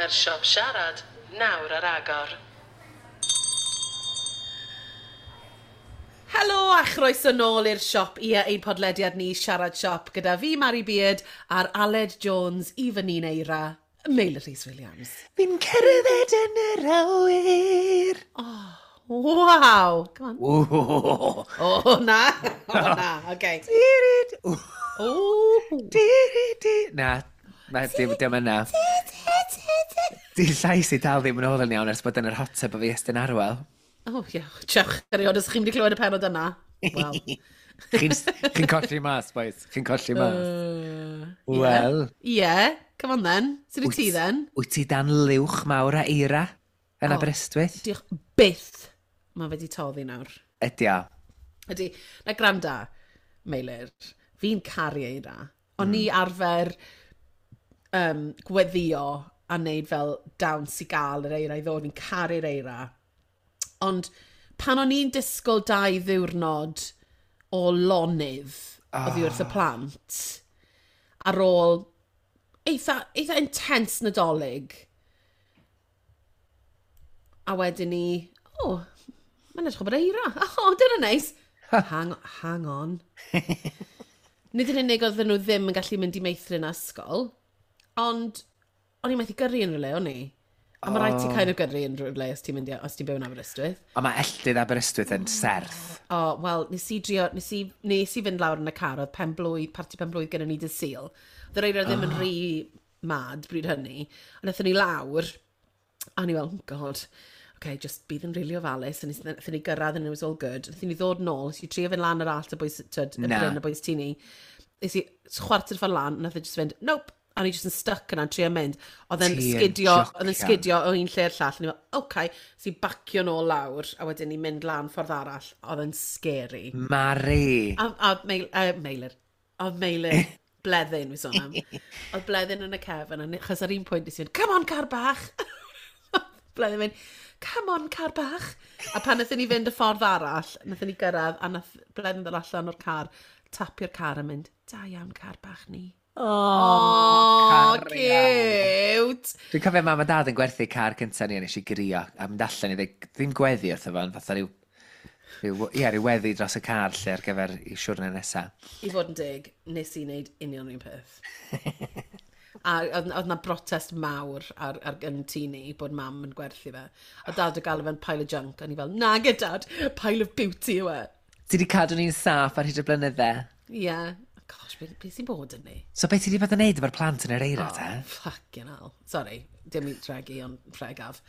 Mae'r siop siarad nawr ar agor. Helo a chroeso nôl i'r siop i ein podlediad ni Siarad Siop gyda fi Mari Beard a'r Aled Jones i fy ni'n Eira, Meilir Rhys Williams. Fi'n cerdded yn yr awyr. Oh, waw. Come on. Ww. O, na. O, na. Okay. Dirid. O. Diridi. Na, na, dim, dim yna. Di llais i dal ddim yn ôl yn iawn ers bod yn yr hot tub o fi Estyn Arwel. O, ie. Diolch, erioed, os chi'n mynd i clywed y penod yna. Wel. Chi'n chi colli mas, boys. Chi'n colli mas. Wel. Ie, yeah. Come on then. Sut wyt ti then? Wyt ti dan liwch mawr a eira yn O. Aberystwyth? Diolch byth. Mae fe di toddi nawr. Ydy o. Ydy. Na granda, Meilir, fi'n caru eira. O'n i arfer gweddio a wneud fel dawns i gael yr eira i ddod. Fi'n caru'r eira. Ond pan o'n i'n disgwyl 2 ddiwrnod o lonydd oddi wrth y plant, ar ôl eitha, eitha intense Nadolig, a wedyn ni, o, oh, mae'n edrych o bod eira. O, oh, dyna neis. Hang on. Nid yn unig oedden nhw ddim yn gallu mynd i meithrin a ysgol, ond o'n i'n methu gyrru yn rhywle, o'n i? A mae rhaid ti kind of gyrru yn rhywle os ti'n mynd i, os ti'n byw yn Aberystwyth. Ond mae elltydd Aberystwyth yn serth. O, oh, wel, nes i drio, nes i fynd lawr yn y car, oedd pen blwydd, parti pen blwydd gyda ni dydd Sul. Oedd yr eira ddim yn rhy mad bryd hynny. A wnaethon ni lawr, a ni fel, oh God, okay, just bydd yn rili ofalus. A wnaethon ni gyrraedd and it was all good. Wnaethon ni ddod nôl, nes i trio fynd lan yr allt y bwys, tyd, y Na. bryn y bwys tini. Nes i chwarter ffordd lan, nath e just fynd, nope. A ni just yn stuck yna'n trio mynd. Oedd e'n Ti yn sgidio, oedd e'n jocian. sgidio o un lle i'r llall. A ni fel, okay, so i bacio nôl lawr, a wedyn ni mynd lan ffordd arall. Oedd e'n scary. Mari. A Meilir, oedd Meilir, Bleddyn, fi sôn am. Oedd Bleddyn yn y cefn, a achos ar un pwynt nes i fynd, come on, car bach! Bleddyn mynd, come on, car bach! A pan wnaethon ni fynd y ffordd arall, wnaethon ni gyrraedd, a nath Bleddyn ddod allan o'r car, tapio'r car a mynd, da iawn, car bach ni. Oh, Oh, cute! Dwi'n cofio mam a dad yn gwerthu car cyntaf ni a nes i grio a mynd allan i ddweud, ddim gweddi wrtho fo, ond fatha rhyw, ie, rhyw weddi dros y car lle ar gyfer i siwrne nesaf. I fod yn deg, nes i wneud union un peth. A oedd 'na brotest mawr ar yn tŷ ni bod mam yn gwerthu fe. A dad o galw fe'n pile of junk, a ni fel, na gyda dad, pile of beauty yw e. Ti wedi cadw ni'n saff ar hyd y blynydde. Ie. Yeah. Gosh, be sy'n bod yn ni? So beth ti wedi bod yn neud efo'r plant yn yr eira, te? Fucking hell. Sorry, dim i tregu, ond pregaf.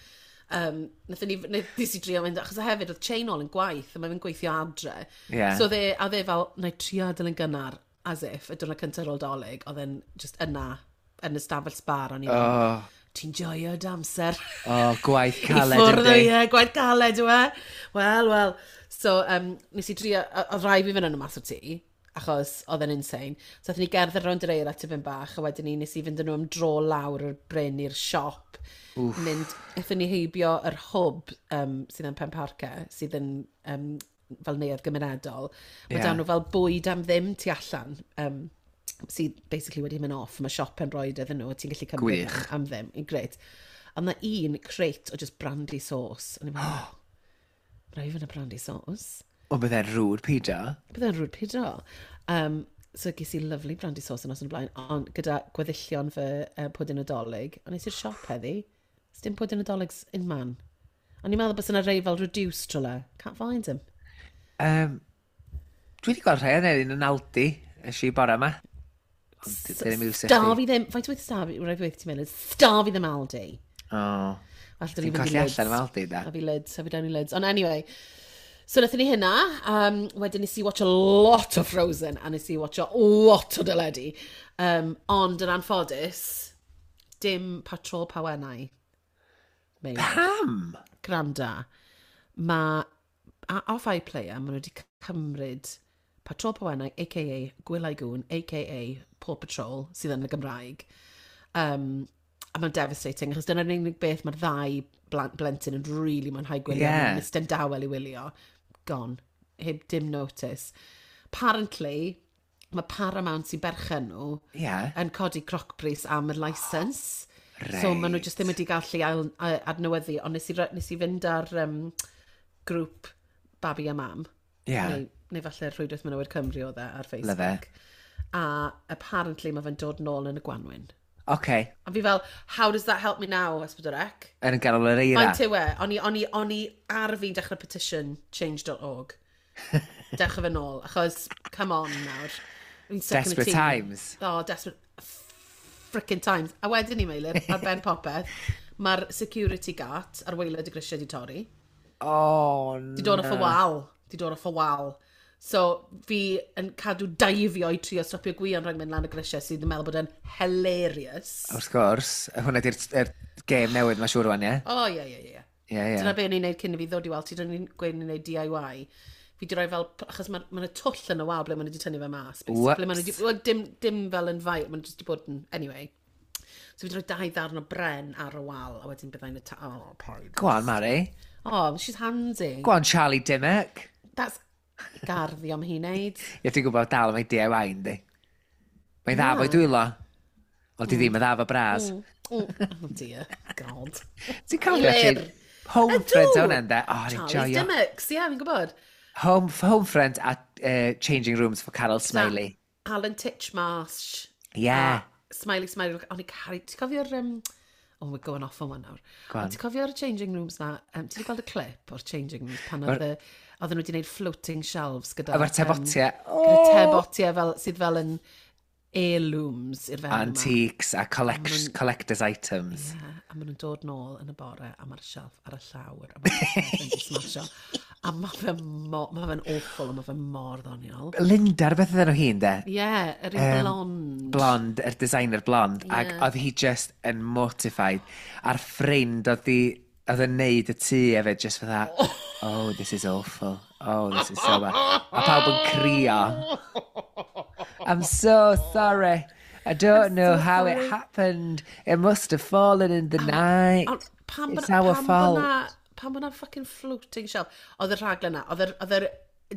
Nathon ni, nes i drio mynd, achos hefyd oedd Chain ôl yn gwaith, a mae'n gweithio adre. Ie. So oedd e, a oedd e fel, na i trio adael yn gynnar, as if, y diwrnod cyntaf ar ôl Dolig, oedd e'n just yna, yn y stafell sbar, o'n i fel, Oh, ti'n joio dy amser. oh, gwaith I caled ffwrdd o yndi. ie, gwaith caled yw e. Wel, wel. So, nes i drio, oedd rhaid fi fynd yn y mas o'r tŷ, achos oedd e'n insane. So, aethon ni gerdded rownd yr eira tipyn bach, a wedyn ni nes i fynd â nhw am dro lawr yr bryn i'r siop. Oof. Mynd, aethon ni heibio yr hwb sydd yn Penparcau, sydd yn fel neuadd gymunedol. Mae yeah. Dan nhw fel bwyd am ddim tu allan. Sydd basically wedi mynd off. Mae siop yn rhoi iddyn nhw, a ti'n gallu cymryd am ddim. Great. Ond na un crate o just brandy sauce. A ni'n meddwl, oh, rhaid fi fynd â brandy sauce. O, bydde'n rude pido. Byddai'n rude pido. So ges i lovely brandy sauce yn nos yn y blaen, ond gyda gweddillion fy pwdin Nadolig. Ond nes i'r siop heddi, dim pwdin Nadolig in man. O'n i'n meddwl bys yna rei fel reduced trwle. Can't find them. Dwi wedi gweld rhai yn un yn Aldi, ys i bore yma. Ond ddim iws i chdi. Starfi ddim, faint wyth starfi, rhaid fi ti'n mynd, starfi ddim Aldi. O, Well, ti'n colli allan efo Aldi, da. A fi lids, a fi down i lids. Ond anyway, so nathon ni hynna, wedyn nes i watch a lot o Frozen, a nes i watch a lot o deledu. Ond yn anffodus, dim Patrol Pawennau. Meilir. Pam? Granda, mae off iPlayer, maen nhw wedi cymryd Patrol Pawennau, a.k.a. Gwyliau Gŵn, a.k.a. Paw Patrol, sydd yn y Gymraeg. A mae'n devastating, achos dyna'r unig beth mae'r ddau blentyn yn really mwynhau gwylio. Ie. Yeah. Isten dawel i wylio. Gone. Heb dim notice. Apparently, mae Paramount sy'n berchen nhw yn codi crocbris am y licence. Right. So maen nhw jyst ddim wedi gallu ail, adnewyddu, ond nes i fynd ar grŵp Babi a Mam. Yeah. Neu falle Rhwydwaith Menywod Cymru oedd e ar Love Facebook. it. A apparently mae fe'n dod nôl yn y gwanwyn. Okay. A fi fel, how does that help me now, S4C? Yn ganol yr eira. Faint yw e? O'n i ar fi'n dechrau petition change.org. Dechrau fe nôl, achos, come on nawr. Fi'n stuck in a Desperate tŷ. times. Oh, desperate frickin' times. A wedyn ni, Meilir, ar ben popeth, mae'r security guard ar waelod y grisiau di torri. Oh, Di dod off y wal. Di dod off y wal. So, fi yn cadw daifio i trio stopio Gwion rhag mynd lan y grisiau sydd yn meddwl bod e'n hilarious. Wrth gwrs, hwnna di'r er gêm newydd mae siŵr rwan, ie? O, ie, ie, ie. Ie, ie. Dyna be o'n i'n neud cyn i fi ddod i weld ti, dyna ni'n gweud ni'n neud DIY. Fi di roi fel, achos mae ma twll yn y wal ble maen nhw wedi tynnu fe mas. basically. Ble maen nhw 'di- wel, dim fel yn fai, maen nhw jyst wedi bod yn, anyway. So fi di roi dau ddarn o bren ar y wal, a wedyn byddai'n y ta... Oh, paid. Go on, Mari. Oh, she's handy. Go on, Charlie Dimmock. That's garddio am hi wneud. Ie, ti'n gwybod dal mae DIY yndi. Mae'n dda fo'i dwylo. Ond di ddim yn dda fo bras. Oh dear, God. Ti'n cofio Lir. ti? Home Friends Ydw. hwnna ynddo? Oh, ni'n Charlie's joio. Dimmocks, ie, fi'n gwybod. Home Friends a Changing Rooms for Carol Smiley. Alan Titchmarsh. Yeah. Smiley, Smiley. O'n i caru... Ti'n cofio'r... Oh, we're going off on one nawr. Go on. Ond Ti'n cofio'r changing rooms na? Ti wedi gweld y clip o'r changing rooms pan oedd oedden nhw wedi gwneud floating shelves gyda... Efo'r tebotiau. Gyda tebotiau fel, sydd fel yn heirlooms i'r fewn yma. Antiques a collector's items. Ie, a maen nhw'n dod nôl yn y bore a mae'r shelf ar y llawr a mae'r peth yn smasho. A mae fe ma fe'n awful a mae fe mor ddoniol. Linda, rhywbeth oedd enw hi, ynde? Ie, yeah, yr un blond. Blond, yr designer blond, yeah. Ac oedd hi just yn mortified. A'r ffrind oedd hi, oedd yn neud y tŷ hefyd, just fatha, oh, this is awful. Oh, this is so bad. A pawb yn crio. I'm so sorry. I don't know so how it sorry. happened. It must have fallen in the night. Ond pam It's our fault. Pam bod na fucking floating shelf? Oedd y rhaglen na, oedd yr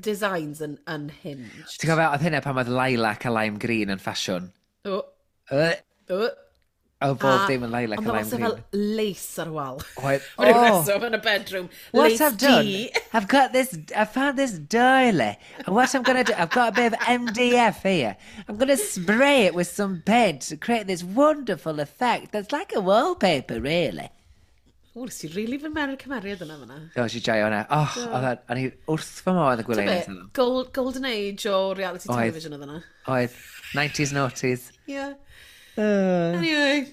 designs yn unhinged. Ti'n cofio, oedd hynna pan oedd lilac a lime green yn ffasiwn. O, o. Oedd bob dim yn lilac Ond a oedd lime fel green. lace ar y wal. Oedd, Am ryw oh, reswm yn y bedroom. What Lace I've done, tea. I've got this, I found this doily. And what I'm going to do, I've got a bit of MDF here. I'm going to spray it with some paint to create this wonderful effect that's like a wallpaper, really. O, nes i really fy mewn i'r cymeriad yna fyna. O, si joio hwnna. Oh, oedd o'n i wrth fy modd yn gwylio Be, hynna. golden age o reality Oedd. television oedd yna. Oedd, 90s noughties. Yeah. Anyway.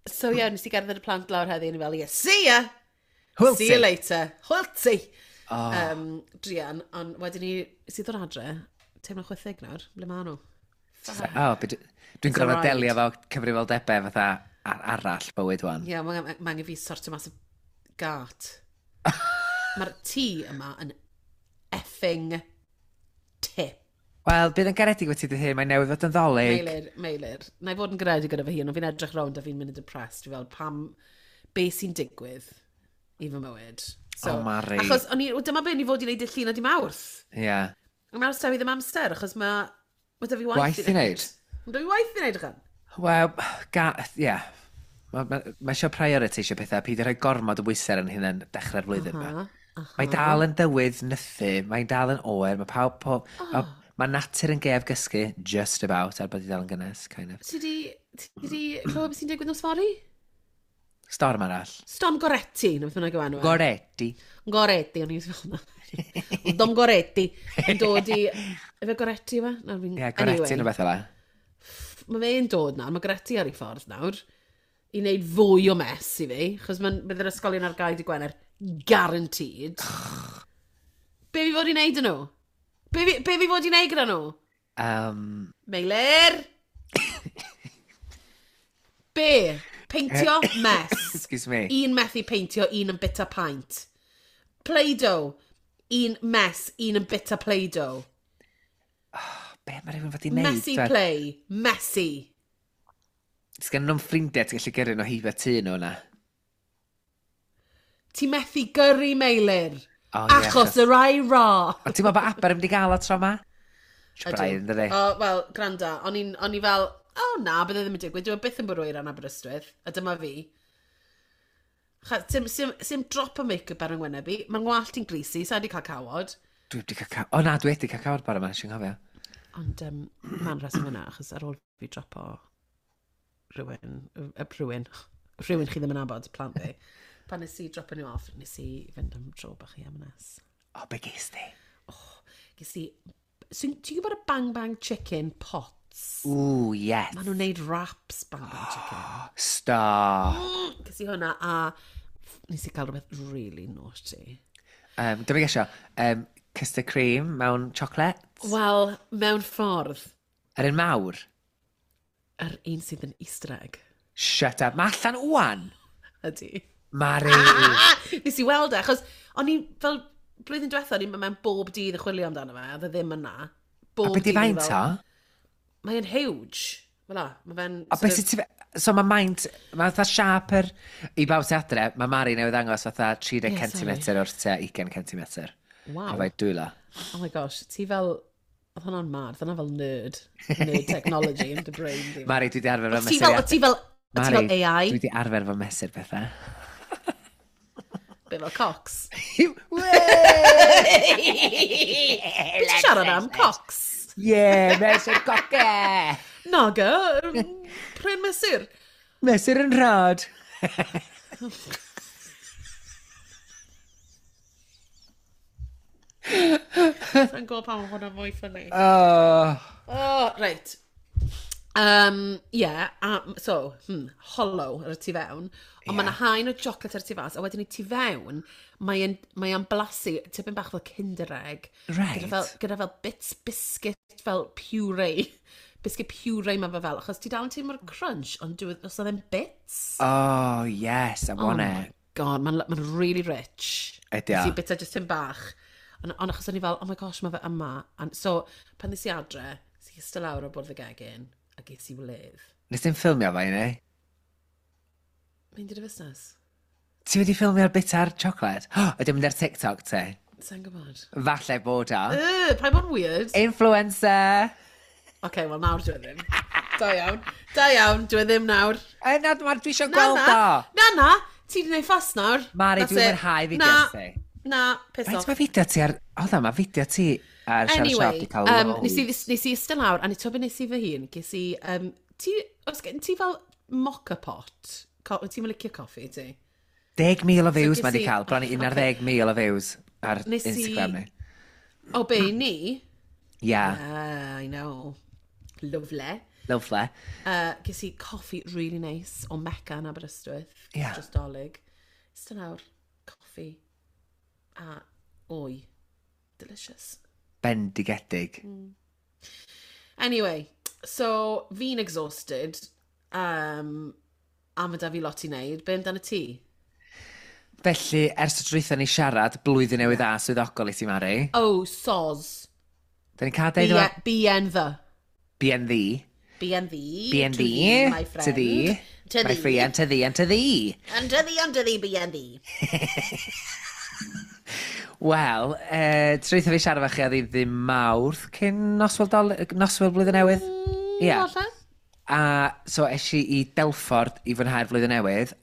So yeah, nes i gerdded y plant lawr heddi, o'n i fel, yeah, see ya! Hwyl See ti. you later. Hwyl ti! Oh. Druan, ond wedyn ni, sydd o'r adre, teimlo chwithig nawr, ble ma nhw? Oh, dwi'n gorfod alright. delio efo cyfrifoldebau fatha arall bywyd wan. Ie, yeah, mae ma angen fi sortio mas y gât. Mae'r tŷ yma yn effing tip. Wel, bydd yn garedig wyt ti dy hun, mae newydd fod yn ddolig. Meilir, Meilir. Na i fod yn garedig gyda fy hun, ond fi'n edrych rownd a fi'n mynd yn depressed. Fi fel, pam, be sy'n digwydd i fy mywyd? So, Oh, Mari. Achos, o'n i, wel, dyma be ni fod i wneud y llun a di mawrth. Ie. Yeah. Ond nawr sda fi ddim amser, achos mae ma da fi waith, Gwaith i wneud. Mae da fi waith i wneud, ychan. Wel, ie. Yeah. Mae ma, ma eisiau prioritisio pethau, peidio rhoi gormod o bwysau ar yn hunain dechrau'r flwyddyn yma. Mae dal yn dywydd nythu, mae'n dal yn oer, mae pawb... Po, oh. Mae natur yn gef gysgu, just about, er bod hi dal yn gynnes, kind of. Ti di clywed beth sy'n digwydd nos fory? Storm arall. Storm Goretti, na beth bynnag yw enw e. Goretti. Goretti, o'n i'n fel na. Dom Goretti. Yn dod i... Efe Goretti yw e? Na, fi'n- Ie, yeah, Goretti Anyway. yn rhywbeth fel 'a. Mae fe'n dod nawr, mae Goretti ar ei ffordd nawr, i wneud fwy o mess i fi, chos mae'n bydd yr ysgolion ar gael di Gwener, guaranteed. Be fi fod i wneud yn nhw? Be fi fod i wneud gyda nhw? Meilir! Be? Peintio mess. Excuse me. Un methu peintio, un yn bita paint. Play-Doh. Un mess, un yn bita Play-Doh. Be mae rhywun fod i wneud? Messy play. Messy. Sgan nhw'n ffrindiau ti'n gallu gyrru nhw heibio tŷ nhw yna. Ti methu gyrru, Meilir. O, ie, Achos yr ai ra. Ond ti'n meddwl bod Aber yn mynd i gael o tro ma? Braidd, yn dydi? O, wel, granda, o'n i fel, oh na, bydde ddim yn digwydd, dwi'n byth yn bwrw eira yn Aberystwyth, a dyma fi. Sim, sim, sim drop o make-up ar yng ngwyneb i, mae'n ngwallt i'n greasy, sa i wedi cael cawod. Dwi wedi cael cawod, o na, dwi wedi cael cawod bore yma, sy'n cofio. Ond mae'n rheswm yna, achos ar ôl fi dropo rhywun, rhywun, rhywun chi ddim yn abod, plant fi. Pan nes i dropo nhw off, nes i fynd am dro bach i M&S. O, be ges di? Oh, ges i... So, ti'n gwybod y Bang Bang Chicken pots? Ooh, yes. Maen nhw'n neud wraps Bang Bang Chicken. Stop. Ges i hwnna a nes i cael rhywbeth really naughty. Dyma gesio, custard cream mewn chocolate? Wel, mewn ffordd. Yr un mawr? Yr un sydd yn easter egg. Shut up. Mae allan wwan? Ydy. Mari! Nes i weld e, achos o'n i fel blwyddyn diwethaf, o'n i'n mewn bob dydd yn chwilio amdano fe, a oedd e ddim yna. Bob a beth i faint o? Mae'n huge. Fel la, mae fe'n... A beth sydd ti... So mae maint, mae fatha siap yr... I bawb sy'n adre, mae Mari newydd ddangos fatha 30 yeah, cm o'r tua 20 cm. Wow. Efo'i dwylo. Oh my gosh, ti fel... Oedd hwnna'n mad, oedd hwnna fel nerd. Nerd technology in the brain. Mari, dwi di arfer fo mesur... Ti fel, ti fel AI. Dwi di arfer fo mesur pethau. Be fel Cox? Be ti'n siarad am? Cox? Yeah, mesur coce! Naga, pren mesur. Mesur yn rhad. Sa'n gwybod pam hwnna mwy ffynnu. Oh. Oh, reit. Yeah, so, hollow ar y tu fewn. Ond yeah. Mae yna haen o chocolate ar y tu fas, a wedyn i tu fewn, mae'n mae blasu tipyn bach fel Kinder Egg. Right. Gyda fel bits biscuit, fel puree. Biscuit puree mae fe fel, achos ti dal yn teimlo'r crunch, ond dwi, os oedd e'n bits. Oh, yes, I want it. God, mae'n ma really rich. Ydy o. Nes i bita just yn bach. Ond on, achos o'n i fel, oh my gosh, mae fe yma. And, so, pan nes i adre, nes i eistedd lawr o bwrdd y gegin, a ges i wledd. Nes ti'n ffilmio fe i ni? Mynd i'r fusnes. Ti wedi ffilmio'r bit ar chocolate? Oh, ydy mynd ar TikTok te? Sa'n gwybod. Falle bod o. Paid bod yn weird. Influencer! Oce, okay, wel nawr dwi ddim. Da iawn. Da iawn, dwi ddim nawr. E, na, dwi eisiau gweld o. Na, na, ti wedi gwneud ffas nawr. Mari, dwi'n mwynhau fideo ti. Na, piss off. Faint mae fideo ti ar... Oedd mae fideo ti ar Siarad Siop di cael loads. Nes i eistedd lawr, a ni to be nes i fy hun, ges i... ti, os gen ti fel mocha pot? Ti'n licio coffi, ti? 10,000 o views mae di cael, bron i 11,000 o views ar Instagram ni. O, be, ni? Yeah. Yeah, I know. Lovely. Lovely. Ges i coffi really nice o Mecca yn Aberystwyth. Yeah. Dros Dolig. Eistedd lawr, coffi a wy. Delicious. Bendigedig. Mm. Anyway, so fi'n exhausted. A mae da fi lot i wneud. Be amdano ti? Felly, ers y drwytha ni siarad, blwyddyn newydd dda swyddogol i ti, Mari. Oh, soz. Da ni'n cael deud yma... BN the. BN the. BN the. BN the. My friend. To thee. To my friend, to thee, and to thee. And to thee, and to thee, BN the. Wel, trwytha fi siarad efo chi oedd hi ddim Mawrth cyn noswyl blwyddyn newydd. Ie. A so es i i Delford i fwynhau'r flwyddyn newydd.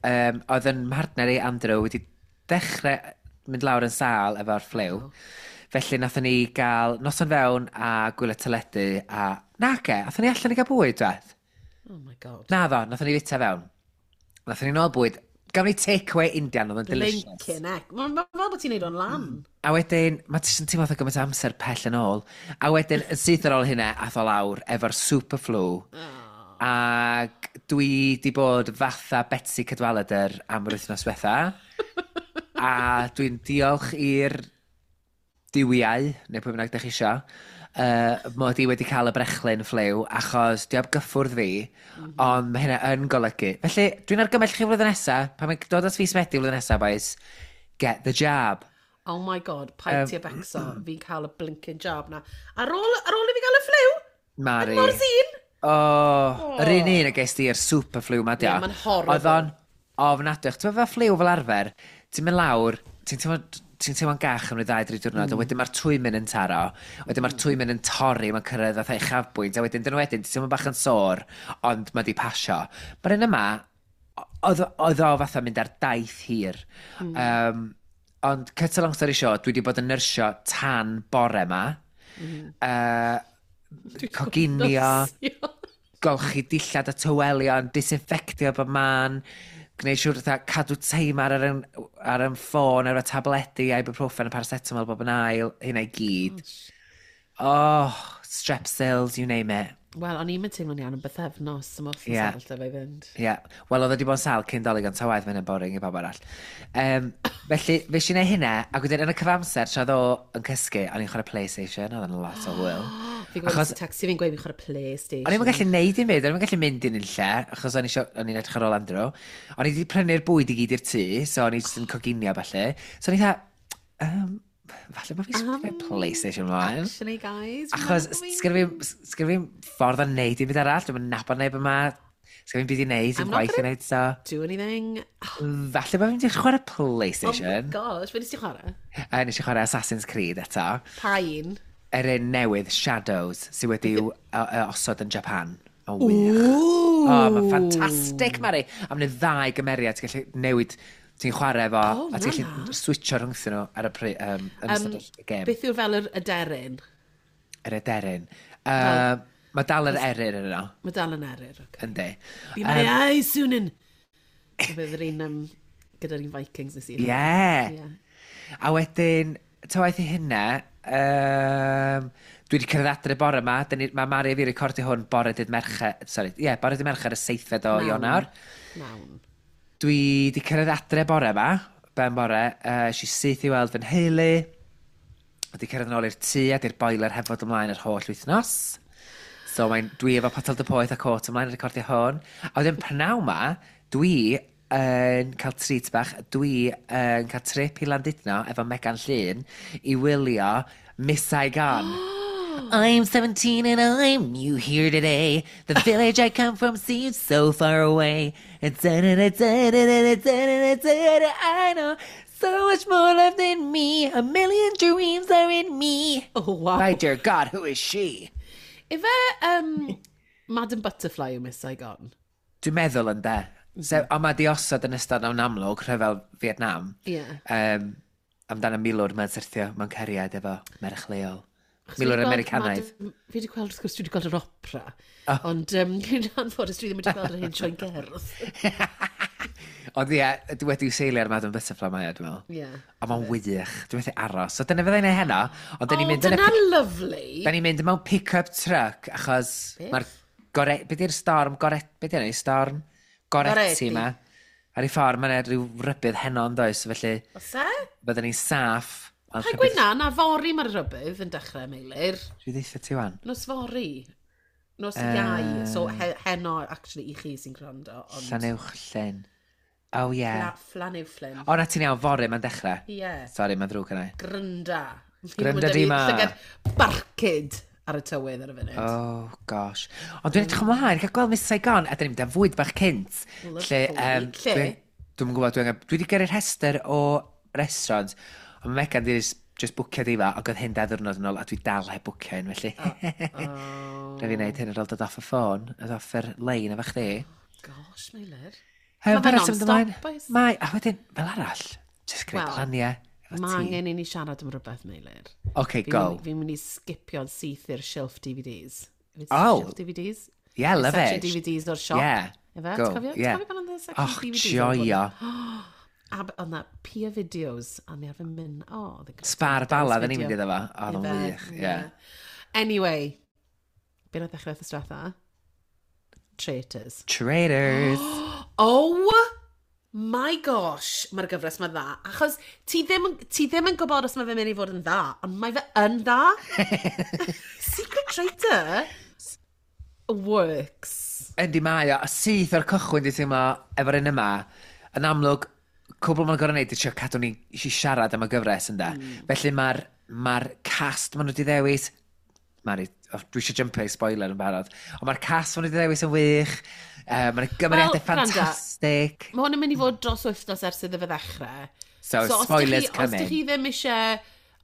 Oedd yn mhartner i Andrew wedi dechrau mynd lawr yn sâl efo'r ffliw. Oh. Felly nathon ni gael noson fewn a gwylio teledu a... Nage, athon ni allan i gael bwyd, dweth. Oh my god. Na ddo, nathon ni fita fewn. Nathon ni nôl bwyd. Gafon ni takeaway Indian, oedd yn delicious. Blinking heck. Mae'n fel bod ti'n neud o'n lan. A wedyn, mae ti'n teimlo fatha gymaint o amser pell yn ôl. A wedyn, yn syth ar ôl hynna, ath o lawr efo'r super flu. Oh. Ac dwi di bod fatha Betsi Cadwaladr am yr wythnos diwetha. A dwi'n diolch i'r duwiau, neu pwy bynnag dych chi isio, mod i wedi cael y brechlyn ffliw, achos di am gyffwrdd fi, ond mae hynna yn golygu. Felly, dwi'n argymell chi flwyddyn nesa, pan mae'n dod at fis Medi flwyddyn nesa, boys, get the jab. Oh my god, paid ti a becso, fi'n cael y blinking jab na. Ar ôl i fi gael y ffliw? Mari. Yn mor zin? Oh, yr un a ges di i'r super flu ma, dia. Yeah, mae'n horrible. Oedd o'n ofnadwy. Ti'n meddwl fel ffliw fel arfer, ti'n mynd lawr, ti'n ti'n teimlo'n gach am ryw 2-3 diwrnod, a wedyn mae'r twymyn yn taro, wedyn mae'r twymyn yn torri, mae'n cyrraedd fatha uchafbwynt, a wedyn dyn wedyn, ti'n teimlo bach yn sore, ond mae di pasio. Mae'r un yma, oedd o fatha mynd ar daith hir. Ond, cut a long story short, dwi wedi bod yn nyrsio tan bore ma. Coginio, golchi dillad a tywelion, disinfectio bob man, gwneud siŵr fatha cadw teimar ar yn ffôn, ar y tabledi, ibuprofen a paracetamol bob yn ail, hynna i gyd. Oh, Strepsils, you name it. Wel, o'n i'n teimlo'n iawn yn bythefnos am wythnos arall efo i fynd. Ie. Yeah. Wel, oedd o wedi bod yn sâl cyn Dolig, ond ta waeth, mae'n boring i bawb arall. Felly, fe si neud hynna, ac wedyn yn y cyfamser, tra oedd o yn cysgu, o'n i'n chwarae PlayStation, oedd yn lot o hwyl. Fi'n gwybod tecstio fi'n gweud fi'n chwarae PlayStation. O'n i'n gallu neud dim byd, o'n i'n gallu mynd i'n unlle, achos o'n i'n edrych ar ôl Andrew. O'n i wedi prynu'r bwyd i gyd i'r tŷ, so o'n i jyst yn coginio falle. So o'n i dda, falle bod fi um, PlayStation ymlaen. Actually, guys. Achos sgynna fi ffordd o neud dim byd arall, dwi'n nabod neb yma, sgynna fi'm byd i neud, I'm dim not gwaith i gonna neud, so do anything. Falle bod fi'n mynd i chwarae Oh my PlayStation. Gosh, fe nes ti chwarae? A nes i chwarae Assassin's Creed eto. Pa un? Yr un newydd, Shadows, sydd wedi'w osod yn Japan. Mae'n wych. O, oh, mae'n ffantastig, Mari. A mae'n ddau gymeriad, ti'n gallu newid, ti'n chwarae efo, O, a ti'n na, gallu switcho rhwngthyn nhw ar y yn ystod y gêm. Beth yw'r fel yr aderyn? Yr aderyn. Mae dal yr eryr yn yno, Mae dal yn eryr. Okay. yndi. Be my eyes, Soonin! Bydd yr un gyda'r un Vikings nes i. Ie. Yeah. A wedyn, ta waeth i hynna, dwi wedi cyrraedd adre bore yma. Mae Mari a fi recordio hwn bore dydd Mercher, sorry, ie, yeah, bore dydd Mercher y 7fed o Nawn. Ionawr. Nawn. Dwi wedi cyrraedd adre bore yma, ben bore, si syth i weld fy nheulu. Wedi cyrraedd yn ôl i'r tŷ a di'r boiler heb fod ymlaen yr holl wythnos. So dwi efo potel de poeth a cot ymlaen yn recordio hwn. A wedyn pnawn ma, dwi yn cael treat bach, dwi yn cael trip i Landudno efo Megan Llun i wylio Miss Saigon. I'm 17 and I'm new here today. The village I come from seems so far away. It's da da da da da da da da da da. I know so much more left in me. A million dreams are in me. Oh, wow. My dear God, who is she? Ife Madam Butterfly yw Miss Saigon? Dwi'n meddwl yn de. So, ond mae di osod yn ystod mewn amlwg, rhyfel Vietnam. Ie. Amdan y milwr mae'n syrthio mewn cariad efo merch leol. Achos fi Milwr 'di gweld Americanaidd. Fi wedi gweld, wrth gwrs, dwi wedi gweld yr opera. Oh. Ond, yn anffodus, dwi ddim wedi gweld yr hyn sioen gerdd. Ond ie, dwi wedi'w seilio ar Madam Butterfly mae o, dwi'n meddwl. Ie. A mae'n wych. Dwi'n methu aros. So dyna fyddai'n ei heno. Ond dyn ni'n Oh, mynd yn y dyna lovely. Da ni'n mynd mewn pick-up truck achos Beth? mae'r gore... Be di'r storm? Gore... Be di'r storm? Goretti Goretti. ma. Ar ei ffordd, mae'n rhyw rybydd heno yn does, felly Oes e? byddwn ni'n saff. ond Pa'n gweud na, na fory mae'r rhybydd yn dechrau, Meilir. Dwi ddeitha ti wan. Nos fory. Nos Iau. So, heno, actually, i chi sy'n gwrando. Ond Llanewch Llyn. Oh, yeah. Llanuwchllyn. O, na ti'n iawn, fory mae'n dechrau. Ie. Sorry, mae'n ddrwg yna. Grynda. Grynda di ma. Llygad barcud ar y tywydd ar y funud. Oh, gosh. Ond dwi'n edrych ymlaen, cael gweld Miss Saigon, a dyn ni'n mynd am fwyd bach cynt. Lovely. Lle? Dwi'n gwybod, dwi wedi gyrru'r rhestr o restaurants, ond mae Megan di just bwcio di fa, ac oedd hyn 2 ddiwrnod yn ôl, a dwi dal heb bwcio un, felly. Oh. Rhaid fi wneud hyn ar ôl dod off y ffôn, a off yr lein efo chdi. Gosh, Meilir. Yym, Ma' fe be arall sy'n mynd ymlaen? non-stop, oes? Mae, a wedyn, fel arall, just gwneud Wel, planiau efo Mae ti. angen i ni siarad am rhywbeth, Meilir. Okay, go. Fi'n mynd i skipio'n syth i'r shelf DVDs. Ife Oh. Shelf DVDs? Yeah, love Section it. DVDs o'r siop. Yeah. Ife? Go. Ti'n cofio? Ti'n Yeah. cofio pan oedd y section Och, DVDs? joio. A oedd na Pia Videos, a ni arfer mynd, oh, oedd yn grêt. Spar Bala, dda ni'n mynd Video. iddo fo. Oedd o'n Ife? wych, ie. Anyway, be nath ddechrau wythnos diwetha? Traitors. Traitors. Oh my gosh, mae'r gyfres mae dda. Achos ti ddim yn gwybod os mae fe'n mynd i fod yn dda, ond mae fe yn dda. Secret Traitor works. Yndi mae o, a syth o'r cychwyn di teimlo efo'r un yma, yn amlwg, cwbl ma'n gorau wneud i trio cadw ni i siarad am y gyfres ynda. Felly mae'r cast maen nhw wedi ddewis, Mari, oh, dwi eisiau jumpio i spoiler yn barod, ond mae'r cast maen nhw wedi ddewis yn wych, mae'n gymeriadau Wel, gwranda. ffantastig. Mae hwn yn mynd i fod dros wythnos ers iddo fe ddechrau. So, so spoilers coming. Os ydych chi ddim eisiau,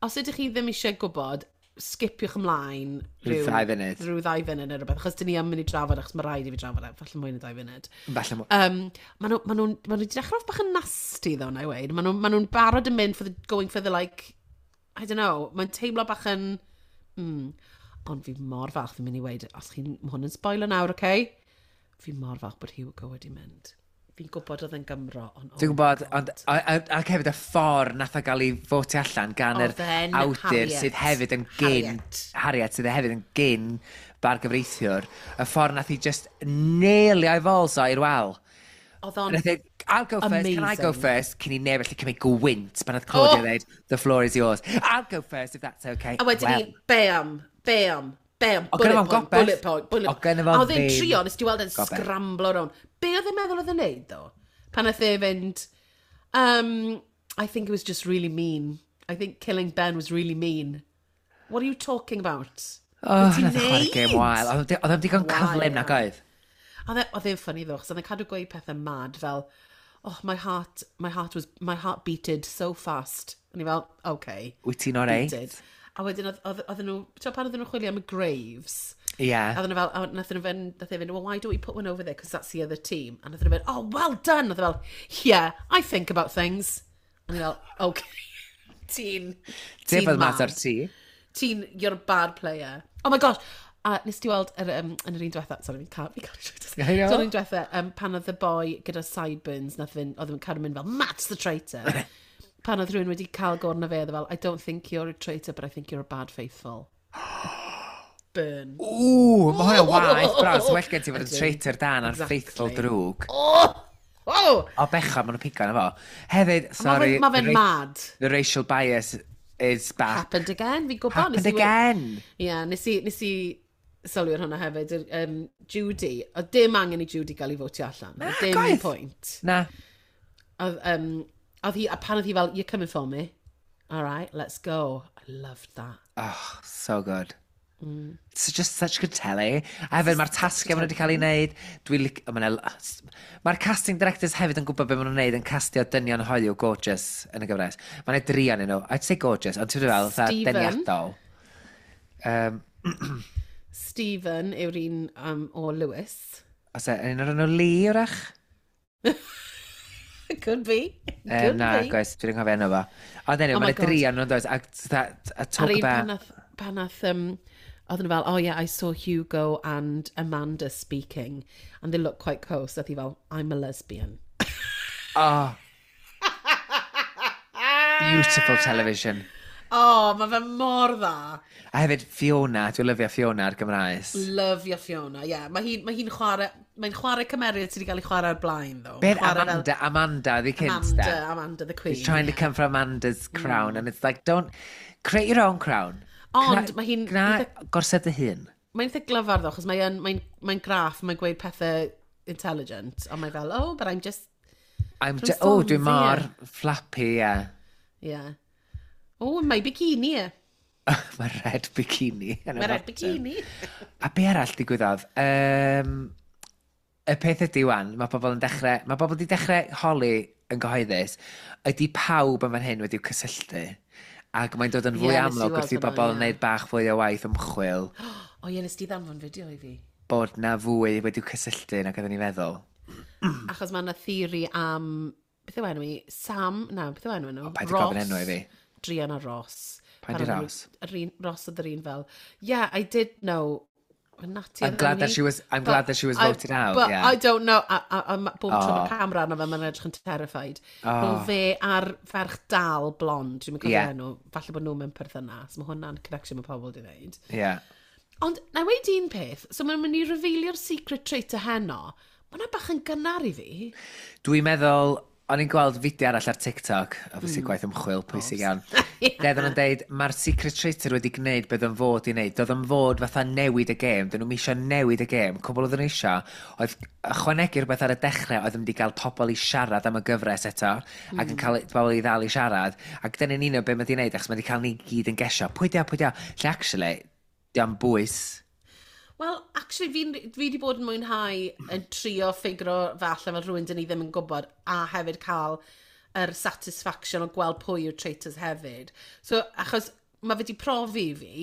os ydych chi ddim eisiau gwybod, skipiwch ymlaen rhyw 2 funud. Rhyw 2 funud neu rhywbeth, achos dyn ni yn mynd i drafod, achos mae rhaid i fi drafod e, falle mwy na 2 funud. Falle mwy. Ma nhw wedi dechrau off bach yn nasty, though, na i weud. Ma nhw barod yn mynd for the, going for the, like, I don't know, mae'n teimlo bach yn... Ond fi mor falch, fi'n mynd i weud, os chi'n, mae hwn yn spoiler nawr, oce? Okay? Fi mor falch bod Hugo wedi mynd. Fi'n gwybod oedd yn Gymro, ond... Oh. Dwi'n gwybod, ond, ac hefyd y ffordd nath o gael ei fotio allan gan yr awdur Harriet. Sydd hefyd yn gyn... Harriet. Harriet, sydd hefyd yn gyn bargyfreithiwr. Y ffordd nath i just nailio ei balls o i'r wal. Oedd o'n Nath e, "I'll go first, can I go amazing. first?" Cyn i neb allu cymryd gwynt pan oedd Claudia Oh! dweud, "The floor is yours." "I'll go first if that's okay." A wedyn Well, ni, bam, bam, bam, O, gynno bullet fo'n point, gobeth. bullet point, bullet O, gynno fo A oedd e'n ddim trio, nes ti weld e'n gobeth. scramblo rownd. Be oedd e'n meddwl oedd e'n neud, ddo? Pan oedd e fynd, "I think it was just really mean. I think killing Ben was really mean." What are you talking about? Oh, Be ti'n nath o chwarae gêm neud? wael. Oedd o'n digon cyflym nag oedd? Oedd e'n funny ddo, achos oedd e'n cadw gweud pethau mad fel, "Oh, my heart beated so fast." A ni fel, "Okay." Wyt ti'n oreit? Beated. A wedyn oedd nhw, ti'n pan oedden nhw'n chwilio am y graves, Ie. a oedden nhw fel, a nath nhw fynd, nath e fynd, "Well, why don't we put one over there, because that's the other team." A nath nhw fynd, "Oh, well done." Nath e fel, "Yeah, I think about things." A ni fel, "Okay." Ti'n Ti'n bod mas mad. o'r tŷ? Ti'n, you're a bad player. Oh my gosh. A nes ti weld yn yr un diwetha, sorry, fi'n cael I know. Yr un diwetha, pan oedd y boi gyda sideburns, nath fynd, oedd yn cadw mynd fel, "Matt's the traitor." Pan oedd rhywun wedi cael go arno fe, oedd e fel, "I don't think you're a traitor, but I think you're a bad faithful." Burn. Ww, mae hwnna'n waeth, bron. So well gen ti fod yn Ydyn. traitor da na'r Exactly. faithful drwg. Oh! Oh! O, bechod, maen nhw'n pigo na fo. Hefyd, sorry. Ma fe'n mad. The racial bias is back. Happened again, fi'n gwybod. Happened Nes i again. Ie, yeah, nes i sylwi ar hwnna hefyd. Judy, oedd dim angen i Judy gael ei fotio allan. Na, Oedd dim gwaith. pwynt. Na. Oedd hi, a pan oedd hi fel, "You're coming for me. All right, let's go." I loved that. Oh, so good. It's just such good telly. A hefyd, mae'r tasgau maen nhw wedi cael ei wneud. Mae'r casting directors hefyd yn gwybod beth maen nhw'n wneud yn castio dynion hoyw gorgeous yn y gyfres. Mae'n dri ohonyn nhw. I'd say gorgeous, ond ti'n fel, fatha Stephen. deniadol. Stephen yw'r un o Lewis. Os e, un o'r enw Lee, wrach? Could be. Could Na, be. guys, dwi'n cofio enw fo. Ond anyway, Oh my mae'n God. dri ohonyn nhw'n does. A talk Ar un about... pan nath, oedden nhw fel, "Oh yeah, I saw Hugo and Amanda speaking, and they look quite close." Oedd hi fel, "I'm a lesbian." Oh. Beautiful television. Oh, mae fe mor dda. A hefyd Fiona, dwi'n lyfio Fiona ar Gymraes. Love your Fiona, yeah. Mae hi'n chwarae cymeriad sydd wedi cael ei chwarae ar blaen, though. Beth Chwarae fel Amanda, Amanda, the cynt, Amanda, de. Amanda the Queen. He's trying to come for Amanda's crown, and it's like, don't, create your own crown. Ond mae hi'n Gna gorsedd dy hun. Mae'n eitha glyfar, though, achos mae'n mae graff, mae'n gweud pethau intelligent, ond mae fel, "Oh, but I'm just," I'm From oh, dwi'n Swansea. mor flappy, yeah. Yeah. Oh, my bikini. Mae red bikini yn y Mae red bottom. bikini. A be arall digwyddodd? Y peth ydy wan, mae pobl yn dechrau, mae pobl wedi dechrau holi yn gyhoeddus, ydy pawb yn fan hyn wedi'w cysylltu. Ac mae'n dod yn fwy Ie, nes i amlwg weld wrth i hwnna, bobl ie. wneud bach fwy o waith ymchwil O ie, nes di ddanfon fideo i fi. Bod na fwy wedi'w cysylltu nag oedden ni'n feddwl. Achos mae yna theori am... Beth yw enw i? Sam? Na, beth yw enw nhw? O, paid â gofyn enw i fi. Drian a Ross. Paid Pan â oedden Ross. Yr un, Ross oedd yr un fel, "Yeah, I did know." Natty I'm oedd glad enw that hi. she was- I'm glad that she was voted out, But yeah. I don't know. A bob tro Oh. mae camera arno fe, mae'n edrych yn terrified. Oh. Oh. Fe a'r ferch dal blond, dwi'n cofio Yeah. enw, falle bod nhw mewn perthynas. Mae hwnna'n connection mae pobl wedi wneud. Yeah. Ond, na i weud un peth, so mae'n mynd i revealio'r secret traitor heno. Mae hwnna bach yn gynnar i fi. Dwi'n meddwl, o'n i'n gweld fideo arall ar TikTok, obviously gwaith ymchwil pwysig iawn. Lle oedden nhw'n deud, mae'r secret traitor wedi gwneud beth o'n fod i wneud. Doedd o'n fod fatha newid y gêm, dyn nhw'n eisiau newid y gêm. Cwbl oedden nhw eisiau, oedd ychwanegu rhywbeth ar y dechrau oedd yn mynd i gael pobl i siarad am y gyfres eto, ac yn cael pobl i ddal i siarad. Ac dyna'n un o beth mae wedi wneud, achos mae wedi cael ni gyd yn gesio. Pwy di o, pwy di o? Lle actually, di o'n bwys. Wel, actually, fi wedi bod yn mwynhau yn trio ffigro fe allan fel rhywun dyn ni ddim yn gwybod, a hefyd cael yr satisfaction o gweld pwy yw'r traitors hefyd. So, achos mae fe wedi profi i fi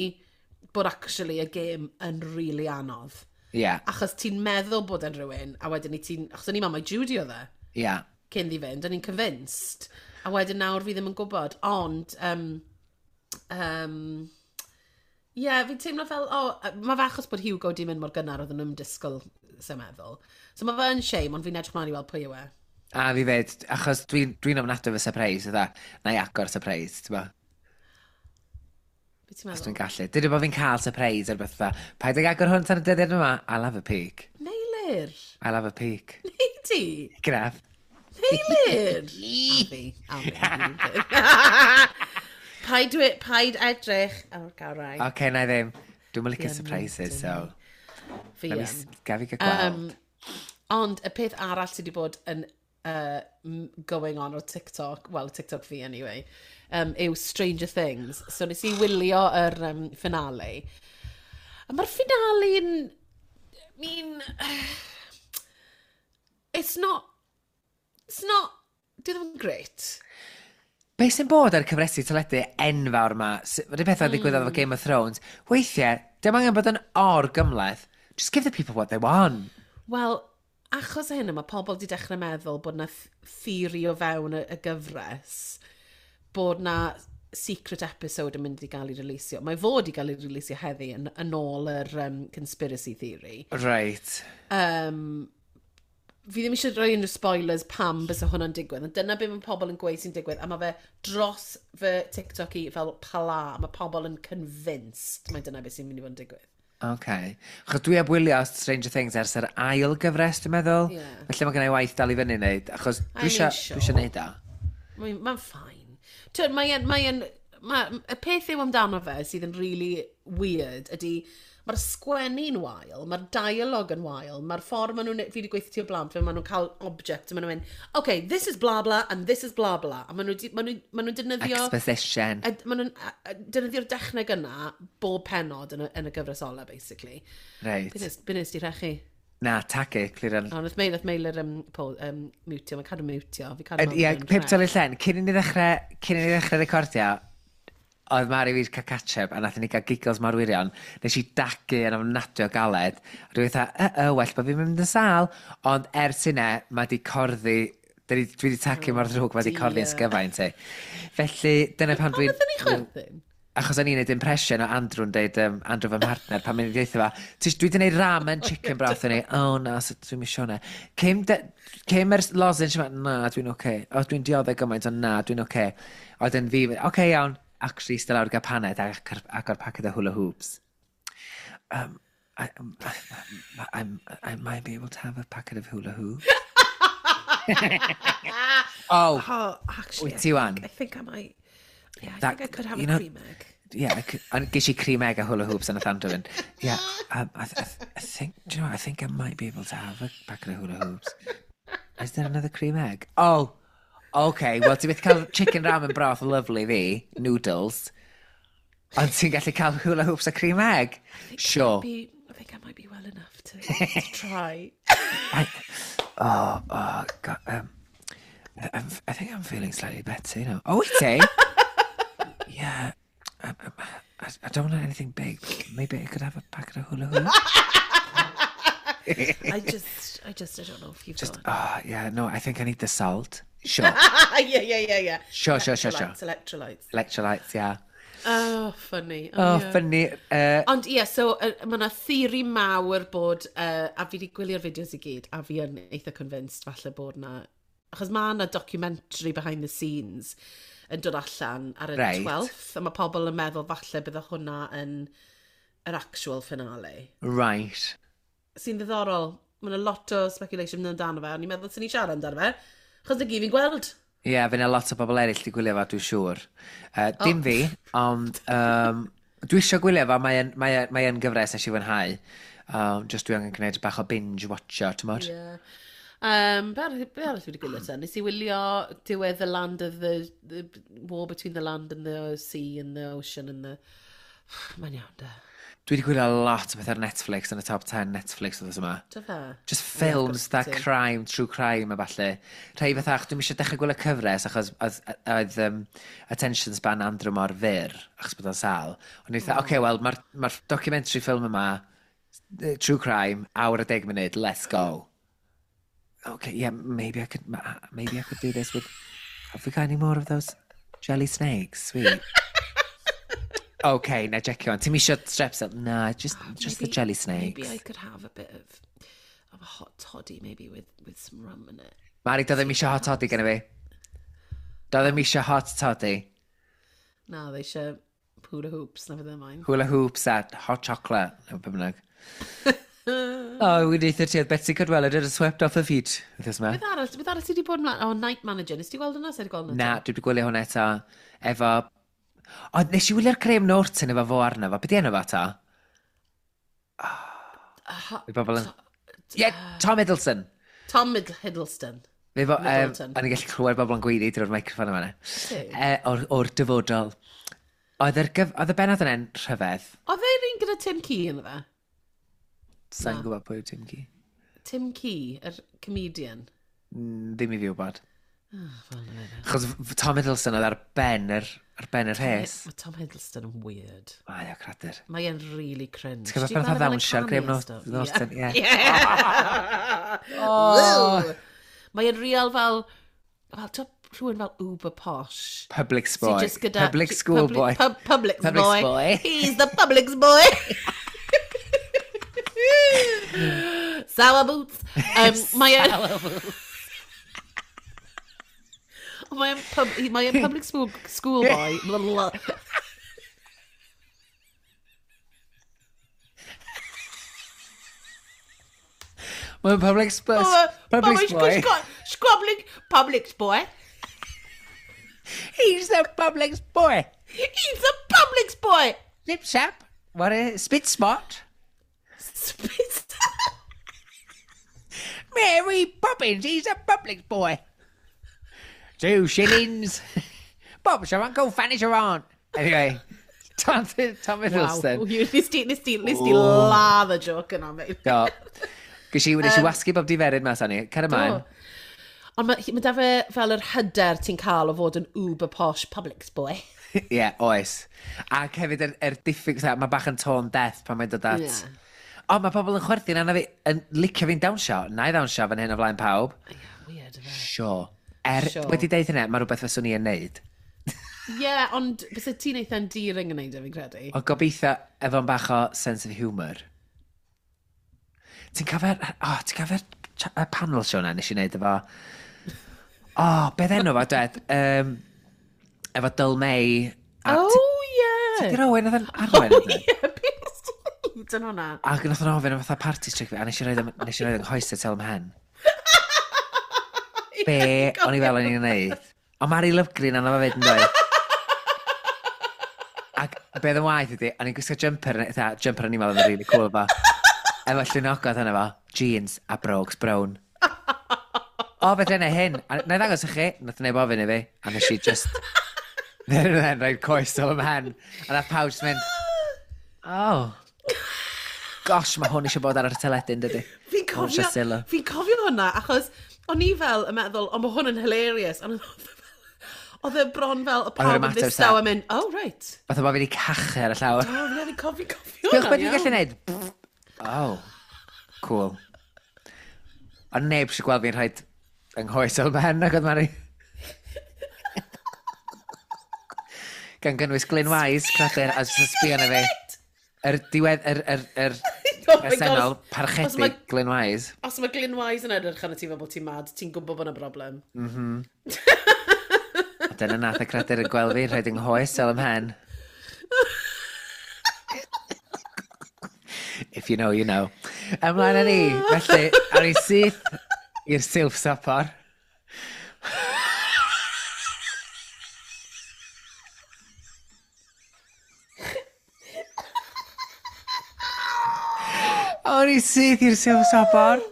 bod actually y game yn really anodd. Achos ti'n meddwl bod e'n rhywun, a wedyn i ti'n... Achos o'n i'n meddwl mai Judy oedd e. Cyn ddi fynd, o'n i'n convinced. A wedyn nawr fi ddim yn gwybod. Ond, yeah, fi'n teimlo fel, oh, mae fe achos bod Hugo di mynd mor gynnar oedd nhw'n disgwyl, sy'n meddwl. So mae fe yn shame, ond fi'n edrych mlaen i weld pwy yw e. A fi fed, achos dwi'n dwi ofnadwy efo surprise, ydda, na i agor surprise, ti'n bo? Be ti'n Os meddwl? dwi'n gallu. Dydy bod fi'n cael surprise ar beth fatha. Paid ag agor hwn tan y dyddiad yma. I'll have a peek. Meilir! I'll have a peek. Nei di? Graf. Meilir! A fi. A fi. Paid edrych. Oh, gael rai. Oce, okay, na i ddim. Dwi'n licio Fi yn surprises, so... Fi Na yn. Gaf i gael gweld. Ond y peth arall sydd wedi bod yn going on o TikTok, well, TikTok fi anyway, yw Stranger Things. So nes i wylio yr finale. A mae'r finale'n... I mean... It's not... It's not... Dwi ddim yn great. Be sy'n bod ar cyfresu teledu enfawr yma, Mae'r pethau ddigwyddodd efo Game of Thrones, weithiau, dim angen bod yn or gymleth. Just give the people what they want. Wel, achos o hynny, mae pobl wedi dechrau meddwl bod na theory o fewn y gyfres, bod na secret episode yn mynd i gael ei releasio. Mae fod i gael ei releasio heddi yn ôl yr conspiracy theory. Fi ddim eisiau rhoi unrhyw spoilers pam bysa hwnna'n digwydd, ond dyna be mae pobl yn gweud sy'n digwydd, a mae fe dros fy TikTok i fel pala, mae pobl yn convinced mai dyna beth sy'n mynd i fod yn digwydd. OK. Achos dwi heb wylio Stranger Things ers yr ail gyfres, dwi'n meddwl. Felly mae gen i waith dal i fyny wneud, achos I dwi mean, eisiau neud o. Mae'n ma fine. Twyd, y peth yw amdano fe sydd yn really weird ydy, mae'r sgwennu'n wael, mae'r dialogue yn wael, mae'r ffordd maen nhw'n, fi wedi gweithio ti o blaen, fe maen nhw'n cael object, a maen nhw'n mynd, okay, this is blah blah, and this is blah blah. A maen nhw'n ma nhw defnyddio... Exposition. A maen nhw'n defnyddio'r dechneg yna bob pennod yn y gyfres ola, basically. Reit. Be nes di rechu? Na, tagu, clir yn... O, nath Meilir mutio, mae'n cadw mutio. Fi cadw Ie, pip tol i'r llen, cyn i ni ddechrau recordio, oedd Mari fi cael catch-up, a nath ni gael giggles mor wirion, nes i dagu yn ofnadwy o galed, a dwi'n fatha, well bod fi'n mynd yn sâl, ond ers hynna, mae di corddi, dwi di tagu mor ddrwg, mae di corddi yn sgyfaint i. Felly, dyna pan dwi'n... Pam nathon ni chwerthin? Achos o'n i'n neud impression o Andrew'n deud, Andrew fy mhartner, pan mynd i ddeutha fa, dwi wedi neud ramen chicken broth yn ei, oh na, so dwi'n misio hwnna. Cym yr lozenge yma, na, dwi'n oce. Okay. O, dwi'n dioddef gymaint, ond na, dwi'n oce. Okay. Oedd yn fi, oce okay, iawn, actually eistedd lawr gael paned ac agor packet o hula hoops. I might be able to have a packet of hula hoops. Oh, Oh, actually, Wyt ti wan? I think I might... Yeah, I think I could have a cream egg. Yeah, and ges i cream egg a hula hoops yn y Andrew fynd. Yeah, I think, do you know what, I think I might be able to have a packet of hula hoops. Is there another cream egg? Oh, okay, well, ti byth cael chicken ramen broth lovely fi, noodles, ond ti'n gallu cael hula hoops a cream egg? Sure. I think I might be well enough to try. Oh, God, I think I'm feeling slightly better, you know. Oh, wyt ti? Yeah, I don't want anything big, but maybe I could have a packet of hula hoops. I don't know if you've Just, got... oh, yeah, no, I think I need the salt. Sure. Yeah. Sure. Electrolytes. Electrolytes, yeah. Oh, funny. Oh, yeah. funny. Ond ie, yeah, so mae yna theori mawr bod, a fi wedi gwylio'r fideos i gyd, a fi yn eitha convinced falle bod na... Achos mae yna documentary behind the scenes yn dod allan ar y 12th, a mae pobl yn meddwl falle bydde hwnna yn yr actual finale. Sy'n ddiddorol. Mae yna lot o speculation amdano fe, ond i'n meddwl sy'n ni siarad amdano fe, achos na gyd fi'n gweld. Ie, yeah, fe yna lot o bobl eraill di gwylio fo, dwi'n siŵr. Dim fi, ond dwi eisiau gwylio fo, mae'n mae gyfres nes i fwynhau. Just dwi angen gwneud bach o binge watcho, ti'n modd? Ie. Be arall dwi wedi gwylio te? Nes i wylio diwedd the land of the war between the land and the sea and the ocean and the... Mae'n iawn, de. Dwi wedi gwylio lot o beth ar Netflix yn y top 10 Netflix oedd yma. Do fe? Just films, yeah, that crime, true crime a falle. Rhai fatha, dwi'n eisiau dechrau gwylio cyfres achos oedd attention span Andrew mor fyr, achos bod o'n sal. Ond i fatha, oce, okay, wel, mae'r ma documentary film yma, true crime, awr a 10 munud, let's go. Okay, yeah, maybe I could do this with... Have we got any more of those jelly snakes? Sweet. Okay, na jecio on. Ti'n isio strepsil? Na, just maybe, the jelly snakes. Maybe I could have a bit of a hot toddy, maybe, with some rum in it. Mari, do ddim isio hot toddy gyda fi. Do ddim isio hot toddy. Na, they eisiau hula hoops, na fydd e. Hula hoops a hot chocolate, neu be bynnag. Oh, we neitha ti, oedd Betsi Cadwaladr had swept off her feet. Beth arall, beth arall ti wedi bod ymlaen? Oh, Night Manager, nes ti gweld hwnna? Sa i 'di gweld hwnna? Na, dwi wedi gwylio hwnna eto. Efo... O, nes i wylio'r Graham Norton efo fo arno fo. Be di enw fo ta? Oh, bobl yn... Yeah, Tom Hiddleston. Tom Hiddleston. Efo, o'n i'n gallu clywed bobl yn gweiddi drwy'r microffon yma. O'r dyfodol. Oedd y bennod yna'n rhyfedd. Oedd e'r un gyda Tim Key ynddo fe? Sa'n gwybod pwy yw Tim Key. Tim Key, yr comedian. Ddim i fi wybod. Achos Tom Hiddleston oedd ar ben yr, ar ben yr rhes. Mae Tom Hiddleston yn weird. Mae o cradur. Mae e'n really cringe. Ti'n gwybod pan oedd ddawnsio ar Graham Norton? Ie. Mae e'n real fel, fel, rhywun fel uber posh. Public boy. Gyda, public school boy. Public boy. He's the public boy. Sour boots. Sour boots. Mae e'n public school boy. Blah, blah. Mae'n public boy. Squabbling public boy. He's the public boy. He's the public boy. Lip sap. What is spit spot? Spit. Mary Poppins, he's a public boy. 2 shillings. Bob's your uncle, Fanny's your aunt. Anyway, Tom Hiddleston. Wow. Nes ti ladd y joke yna, mate. Do. Ges i wasgu bob diferyn mas ani. Cer ymlaen. Ond mae da fe fel yr hyder ti'n cael o fod yn uber posh public boy. Ie, yeah, oes. Ac hefyd yr diffyg, mae bach yn tone deaf pan mae'n dod at... Yeah. O, mae pobl yn chwerthin arna fi, yn licio fi'n dawnsio. Na i ddawnsio fan hyn o flaen pawb. Yeah, weird, efe. Sure. Sure. Wedi deud hynna, mae rhywbeth fyswn i yn neud. Ie, yeah, ond byse ti'n eitha endearing yn neud e, fi'n credu. Ond gobeithio efo'n bach o sense of humour. Ti'n cofio'r... O, ti'n cofio'r panel show na nes i wneud efo... O, beth enw fo, dwed? Efo Dyl May. Oh, ie! Ti'n Owen oedd yn arwain? Oh, ie, beth ti'n neud yn hwnna? Ac nath o'n ofyn am fatha party trick fi, a nes i roed yng nghoesau tel ymhen. Be o'n i fel o'n i'n neud. Ond Mari Lovgreen arno fo fyd yn dweud. Ac be oedd yn waith ydi, o'n i'n gwisgo jumper, eitha, jumper o'n i'n meddwl oedd yn really cool efo. Efo llwynogod yna fo, jeans a brogues brown. O, beth yna hyn. A na i ddangos i chi, nath neb ofyn i fi, a nes i just... Then rhaid coes ôl ymhen. A nath pawb just mynd, oh. Gosh, mae hwn eisiau bod ar y teledu, dydy. Fi'n cofio hwnna, achos o'n i fel yn meddwl, ond mae hwn yn hilarious. Ond oedd e bron fel y pawb yn ddistaw yn mynd, oh, right. Fatha bod fi wedi cachu ar y llawr. O, fi'n cofio hwnna. Diolch beth dwi'n gallu neud. Oh, cool. Ond neb eisiau gweld fi'n rhaid yng nghoes o'r ben, ac oedd Mari. Gan gynnwys Glyn Wise, cradur, a jyst yn sbio arna fi. Yr diwedd, yr presennol, parchedig Glyn Wise. Os mae Glyn Wise yn edrych arno ti fel bod ti'n mad, ti'n gwybod bod yna broblem. Mhm. A dyna nath y cradur yn gweld fi, rhaid yng nghoes ôl ymhen. If you know, you know. Ymlaen â ni, felly, ar ei syth i'r silff sopor. O'n i syth i'r silff sopor.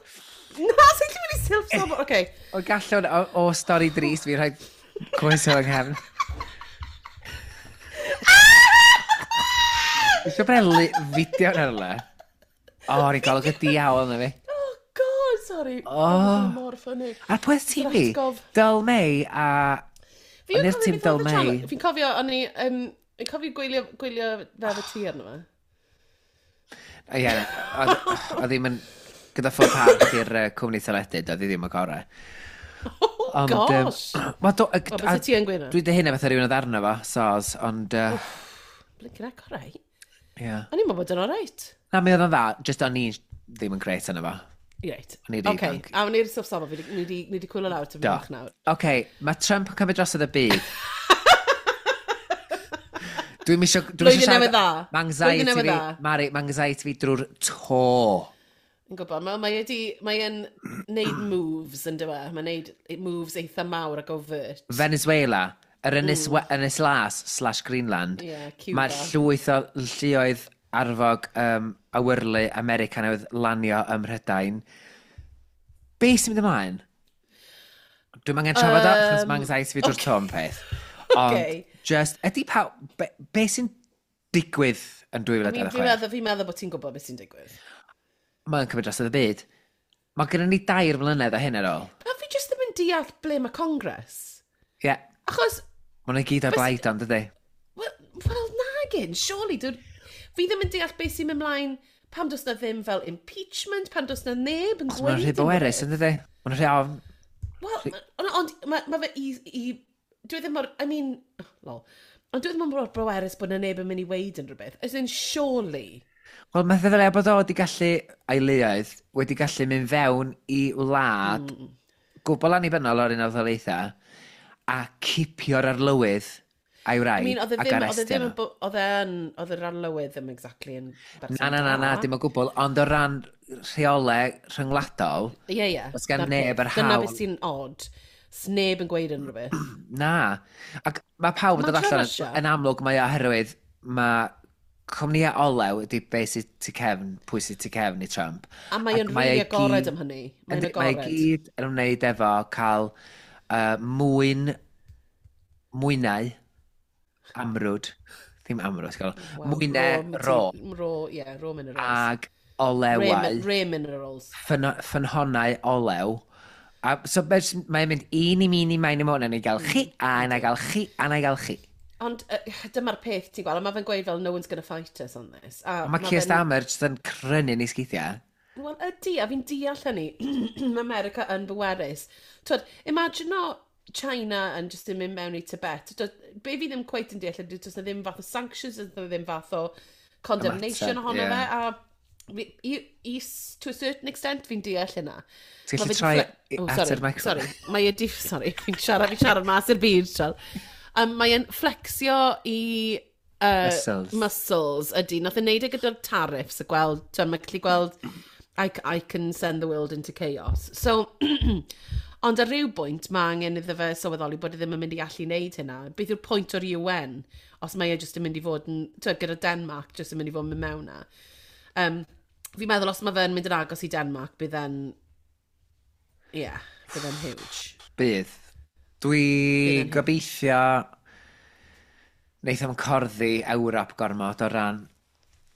Na, sy'n lle mynd i silff sopor? Oce. O gallwn o stori drist fi rhaid coes o yng nghefn. Eisiau brelu fideo yn erle. O, oh, ni'n golwg y diawl yna fi. Oh, God, sorry. Oh. Mor funny. A pwy oedd tîm fi? Atgof. Dyl May a... Fi'n O'n i'r cofio tîm beth oedd Dyl y channel- May. Fi'n cofio, o'n i... Fi'n cofio gwylio, gwylio fe efo ti arno fe. Ie, oedd oedd ddim yn... Gyda phob parch i'r cwmni teledu, doedd hi ddim y gorau. Oh, Ond, yym, gosh. Wel, do, Wel, byse ti yn gweud 'na? Dwi dy hynna fatha rhywun oedd arno fo, soz, ond... Blinking heck, all right. Yeah. O'n i'n meddwl bod yn all right. Na, mi oedd o'n dda, just o'n i ddim yn grêt arno fo. Reit. O'n i'n rhy Ocê, ifanc. A o'n i'r stwff safon, fi ni di cwylio lawr tipyn Do. bach nawr. Oce, mae Trump yn cymryd drosodd y byd. Dwi'm isio... Dwi'm Blwyddyn isio siarad- newydd dda. Ma' anxiety Blwyddyn newydd fi, dda. Mari, mae anxiety fi drwy'r to. Yn gwybod, mae wedi, mae e'n neud moves yn dywe. Mae'n neud moves eitha mawr ac overt. Venezuela, yr ynys, ynys las slash Greenland. Ie, Cuba. Mae llwyth o lluoedd arfog awyrlu America newydd lanio ym Mhrydain. Be sy'n mynd ymlaen? Dwi'm angen trafod o, achos mae anxiety fi drwy'r to am peth. Ond, Ocê. just, ydy pa... Be, be sy'n digwydd yn I mean, 2026? fi'n meddwl bod ti'n gwybod beth sy'n digwydd. Mae'n cymryd dros y byd. Mae gennym ni 3 mlynedd o hyn ar ôl. A fi jyst ddim yn deall ble mae Congress. Ie. Yeah. Achos, Mae nhw gyd ar blaid ond, dydy? Wel nagin, surely. Dwi, fi ddim yn deall beth sy'n mynd mlaen pam does na ddim fel impeachment, pam does na neb yn Maen gweud nhw'n rhy bwerus, yn dydy? Maen nhw'n rhy ofn. Wel, ond mae ma fe i... Dwi ddim mor... I mean... Oh, lol. Ond dwi ddim mor bwerus bod na neb yn mynd i weid yn rhywbeth. As in, surely. Wel, mae ddylia bod o wedi gallu, a'i leoedd, wedi gallu mynd fewn i wlad gwbl annibynnol o'r Unol Daleithiau a cipio'r arlywydd a'i I wraig mean, oedd e ac ddim... Oedd e arestio ddim nhw. yn... Oedd e yn... Oedd yr arlywydd ddim exactly yn berson Na, na, na, na, da. dim o gwbl, ond o ran rheolau rhyngwladol, Ie. Does gan Na'r neb peth. yr Dyna hawl. beth sy'n odd. Sneb yn gweud unrhyw beth. Na. Ac mae pawb yn Ma'n dod allan Russia. yn amlwg mae o oherwydd mae cwmnïau olew ydy be sydd tu cefn, pwy sydd tu cefn i Trump. A mae Ac o'n mae really e agored gyd- am hynny. Mae'n Yndi, Mae e agored. gyd yn ymwneud efo cael mwynau, amrwd, ddim amrwd, gael, Wel, mwynau ro Ro, ie, raw minerals. ag olewau, Rare minerals. ffynhonnau olew. A so mae'n mynd un i mi, i main i mwyn, a na i gael chi, a na i gael chi, a na i gael chi. Ond dyma'r peth ti'n gweld, a mae fe'n gweud fel, no one's gonna fight us on this. A Mae Keir fe'n- Starmer jyst yn crynu ni sgeithiau. Wel, ydy, a fi'n deall hynny. Mae America yn bwerus. Twyd, imagine o China yn just yn mynd mewn i Tibet. Twyd, be fi ddim cweit yn deall ydy, does na ddim fath o sanctions, does na ddim fath o condemnation Ymateb, ohono ie. fe. A fi, i, to a certain extent, fi'n deall hynna. Ti'n Ma' gallu fe 'di troi Oh, at sorry, yr microphone? Sorry, mae e di... Sorry, fi'n siarad mas i'r byd, sial. Mae e'n flexio i... Muscles. Muscles, ydy. Nath e wneud e gyda'r tariffs a gweld... Ti'n mae'n gallu gweld... I can send the world into chaos. So, ond ar ryw bwynt, mae angen iddo fe sylweddoli bod e ddim yn mynd i allu wneud hynna. Beth yw'r pwynt o'r UN os mae e jyst yn mynd i fod yn... Twyd, gyda Denmark jyst yn mynd i fod yn mynd mewn na. Fi'n meddwl os mae fe'n mynd yn agos i Denmark, bydd e'n... Ie, yeah, bydd e'n huge. Bydd. Dwi Bydd yn gobeithio wneith o'm corddi Ewrop gormod o ran...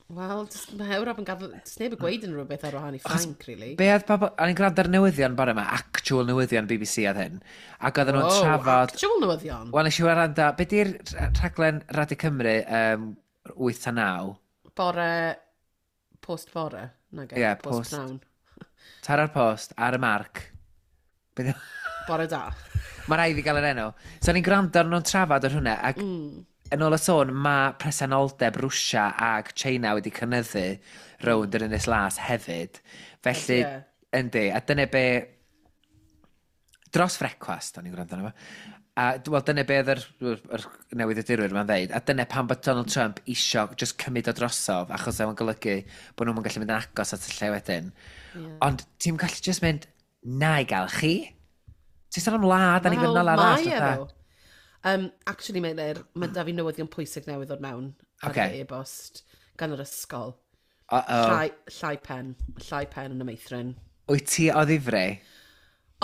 Wel, mae Ewrop yn gadael... Does neb yn gweud unrhyw beth ar wahân i Ffrainc, really. Be oedd pobl... O'n i'n gwrando ar newyddion bore yma, actual newyddion BBC oedd hyn. Ac oedden nhw'n Oh, trafod... actual newyddion. Wel, nes i wrando... Be di'r rhaglen Radio Cymru 8 a 9? Bore... Post bore. Nage. Ie, post post. pnawn. Tara'r post, ar y marc. Be 'di- Bore da. Mae rhaid i gael yr enw. So o'n i'n gwrando ar nhw'n trafod ar hwnna, ac yn ôl y sôn, mae presenoldeb Rwsia ag China wedi cynyddu rownd yr Ynys Las hefyd. Felly, Ie. yndi, a dyna be... Dros frecwast, o'n i'n gwrando arno fo. A wel, dyna be oedd yr newyddiadurwyr ma'n ddeud. A dyna pam bod Donald Trump isio just cymryd o drosodd, achos oedd o'n golygu bod nhw'n gallu mynd yn agos at y lle wedyn. Ie. Ond ti'n gallu just mynd, na i gael chi. Ti'n sôn am wlad annibynnol Wel, arall. Mae e fatha. ddo. Actually, Meilir, mae da fi newyddion pwysig newydd ddod mewn ar Ocê. y e-bost gan yr ysgol. Uh-oh. Llai pen. Llai pen yn y meithrin. Wyt ti o ddifri?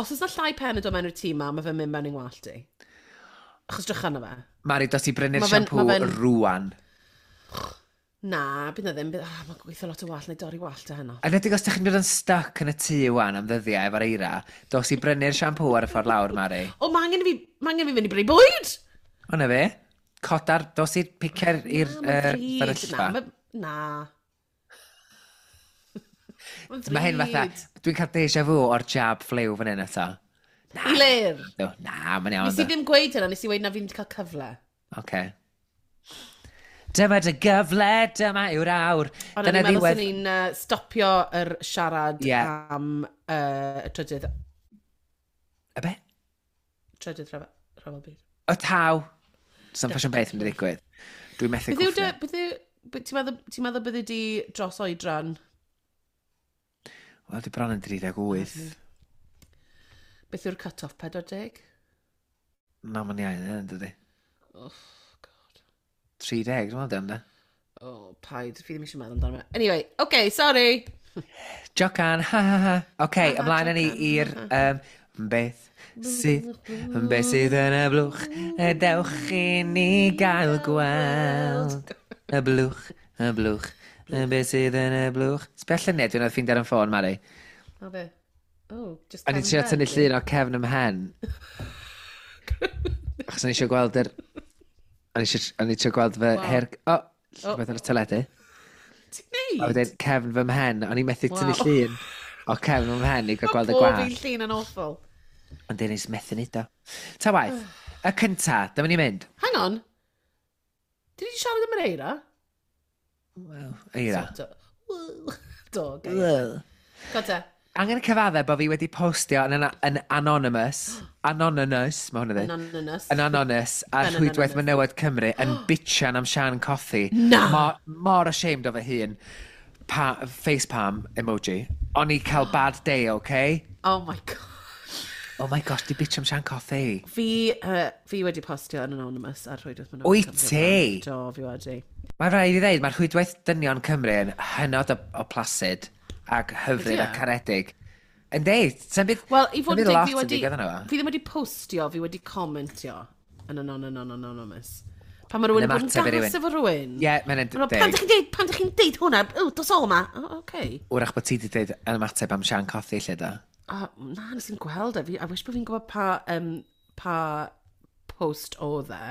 Os oes na llai pen yn dod mewn i'r tîm ma, mae fe'n mynd mewn i'n ngwallt i. Achos drych arno fe. Mari, dos i brynu'r Ma' fe'n- siampŵ ma' fe'n- rwan. Na, bydd na ddim. Bydd, oh, mae'n gweithio lot o wallt, neu dorri wallt o heno. A nedig os ydych chi'n dod yn stuck yn y tŷ wan am ddyddiau efo'r eira, dos i brynu'r siampŵ ar y ffordd lawr, Mari. O, mae angen i fi, ma angen i fi fynd i brynu bwyd! O, na fe. Codar, dos i'r picer i'r Na, ma'n ddrud. fferyllfa. Na, na. Ma'n Mae hyn fatha, ddrud. dwi'n cael deja vu o'r jab ffliw fan hyn eto. Na. I lir. No, na, mae'n iawn. Nes i ddim gweud hynna, nes i weud na fi ddim wedi cael cyfle. Oce. Dyma dy gyfle, dyma yw'r awr. Ond o'n Dyna i'n meddwl ddiwedd. sy'n ni'n stopio yr siarad Ie. am y trydydd, Y be? trydydd rhyfel, rhyfel byd. O taw. Does na'm ffasiwn beth yn digwydd. Dwi'n methu Beth yw dy... cwffio. Beth yw... Ti'n meddwl, ti meddwl bydde di dros oedran? Wel, dwi bron yn 38. Beth yw'r cut-off 40? Na, mae'n iawn, yn dydi. Oh, God. 30, dwi'n meddwl, dyna. Oh, paid. Fi ddim eisiau meddwl amdano fe. Anyway, okay, sorry. Jocan, ha ha ha. Oce, Ha, ha, ymlaen â ni jocan, i'r... Um, beth sydd, beth sydd yn y blwch, y dewch i ni gael gweld. Y blwch, y blwch, y beth sydd yn y blwch. Sbia lluniau dwi'n oedd ffeindio ar y ffôn, Mari. O be? Oh, just O'n i'n cefn trio pen, tynnu di. llun o cefn ym mhen. Achos o'n i eisiau gweld yr... O'n i eisiau o'n i trio gweld fy Wow. her... O, O. rhywbeth ar y teledu. Ti'n neud? A wedyn cefn fy mhen, o'n i'n methu tynnu Wow. llun o cefn fy mhen i gael gweld y Bob gwallt. un llun yn awful. Ond dyn ni'n methu neud o. Ta waith, y cynta, dyma ni'n mynd. Hang on. Did ni siarad am yr eira? Wel, eira. Sort of. Do, gair. Go te. Angen cyfadde bod fi wedi postio yn, yn anonymous, anonymous, mae hwnna dweud, Anonymous. yn anonymous ar Yn rhwydwaith anonymous. Menywod Cymru yn bitchan am Sian Cothi. Na! Mor, mor ashamed o fy hun. Pa, facepalm emoji. O'n i cael bad day, okay? Oh my God. Oh my gosh, di bitch am Sian Cothi. Fi wedi postio yn anonymous ar rhwydwaith Menywod Wyt Cymru. ti? Do, fi wedi. Mae rhaid i ddeud, mae'r rhwydwaith dynion Cymru yn hynod o placid ac hyfryd Ydi a e? caredig. Yn deud, sy'n byd... Wel, i fod sa'm yn byd deg, lot fi yn wedi... digwydd yno fo. Fi ddim wedi postio, fi wedi comentio yn anonymous. Pan mae rhywun yn bod yn ymateb i gas rywun. efo rhywun. Ie, mae'n Ma' nhw, Pan deg. dych chi'n deud, pan dych chi'n deud hwnna, o, dos o ma. O, okay. Wrach bod ti wedi deud yn ymateb am Sian Cothi, lle da. O, na, nes i'n gweld e. Fi, I wish bod fi'n gwybod pa post oedd e.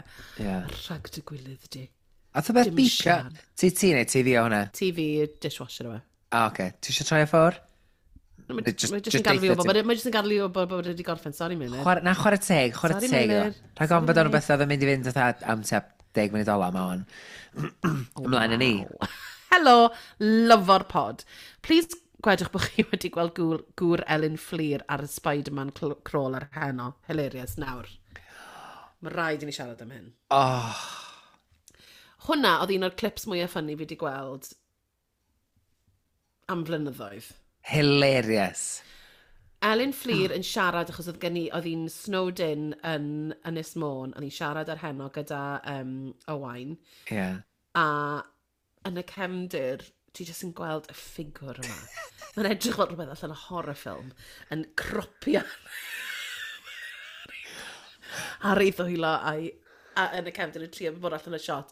Ie. Rhag dy gwilydd di. A the beth Dim beepio? Sian. Ti ti neu ti fi o hwnna? TV dishwasher yma. A, oce. Ti eisiau troi o ffwr? Mae Just- jyst just yn gadael fi deutha wybod, ti. mae jyst yn gadael fi wybod bod wedi gorffen, sorry Meilir. Chwara, na, chwarae teg, chwarae Sorry, teg. iddo. Meilir. Rhag ofn bod Sorry, o'n rhywbeth oedd yn mynd i fynd fatha am tua 10 munud ola ma hwn. Ymlaen â ni. Helo, lyfo'r pod. Please gwedwch bod chi wedi gweld gŵr Elin Fflur ar y Spider-Man crawl ar heno. Hilarious, nawr. Mae rhaid i ni siarad am hyn. Oh, Hwna oedd un o'r clips mwyaf ffynnu fi wedi gweld am flynyddoedd. Hilarious. Elin Fflur yn siarad achos oedd gen i, oedd hi'n snowed in yn Ynys Môn, oedd hi'n siarad ar heno gyda Owain, Yeah. a yn y cefndir, ti jyst yn gweld y ffigwr yma. Mae'n edrych fel rhywbeth allan o horror film, yn cropio ar ei ddwylo a'i, a yn y cefndir yn trio bod allan y shot.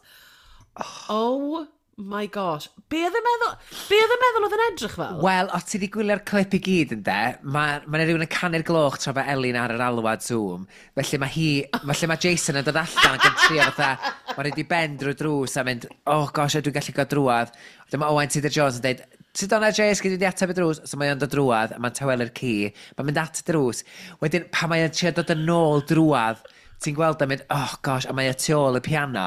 Oh my gosh. Be oedd yn meddwl, be oedd yn meddwl oedd yn edrych fel? Wel, os ti wedi gwylio'r clip i gyd yn de, mae ma rhywun yn canu'r gloch tra fe Elin ar yr alwad Zoom. Felly mae hi, felly mae Jason yn dod allan ac yn trio fatha, mae'n rhaid i ben drwy drws a mynd, oh gosh, dwi'n gallu gael drwad. Dyma Owain Tudor Jones yn dweud, Sut o'na Jace, gyd wedi ateb y drws. So mae o'n dod drwad, a mae'n tawelu'r ci. Mae'n mynd at y drws. Wedyn, pan mae o'n trio dod yn ôl drwad, ti'n gweld o'n mynd, oh gosh, a mae o tu ôl y piano.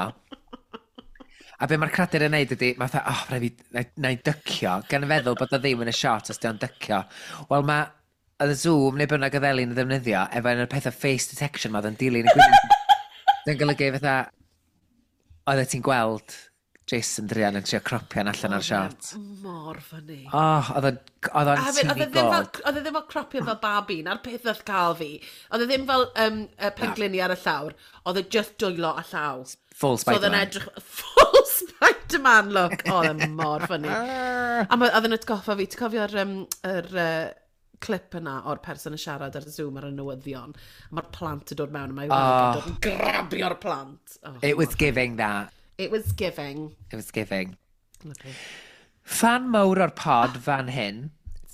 A be mae'r cradur yn neud ydy, mae fatha, oh, rhaid fi, na i dycio, gan feddwl bod o ddim yn y shot os di o'n dycio. Wel, mae oedd y Zoom neu bynnag oedd Elin yn ddefnyddio, efo un o'r pethau face detection ma oedd yn dilyn y gwyneb. Dwi'n golygu fatha, oedd ti'n gweld Jason Drian yn trio cropian allan o'r shot. Mor funny. Oh, oedd o'n oedd o'n A hefyd, oedd e TV ddim fel, gold. oedd e ddim fel cropio fel babi, na'r peth oedd cael fi. Oedd e ddim fel penglini ar y llawr, oedd e just dwylo a llaw. Full So oedd e'n Spider-Man. edrych, full Spider-Man look. Oedd e mor funny. A oedd e'n atgoffa fi, ti'n cofio'r yr, clip yna o'r person yn siarad ar Zoom ar y newyddion. A mae'r plant yn dod mewn, a mae oh. yn dod yn grabio'r plant. Oh, It was giving that. It was giving. It was giving. Lovely. Fan mawr o'r pod fan hyn,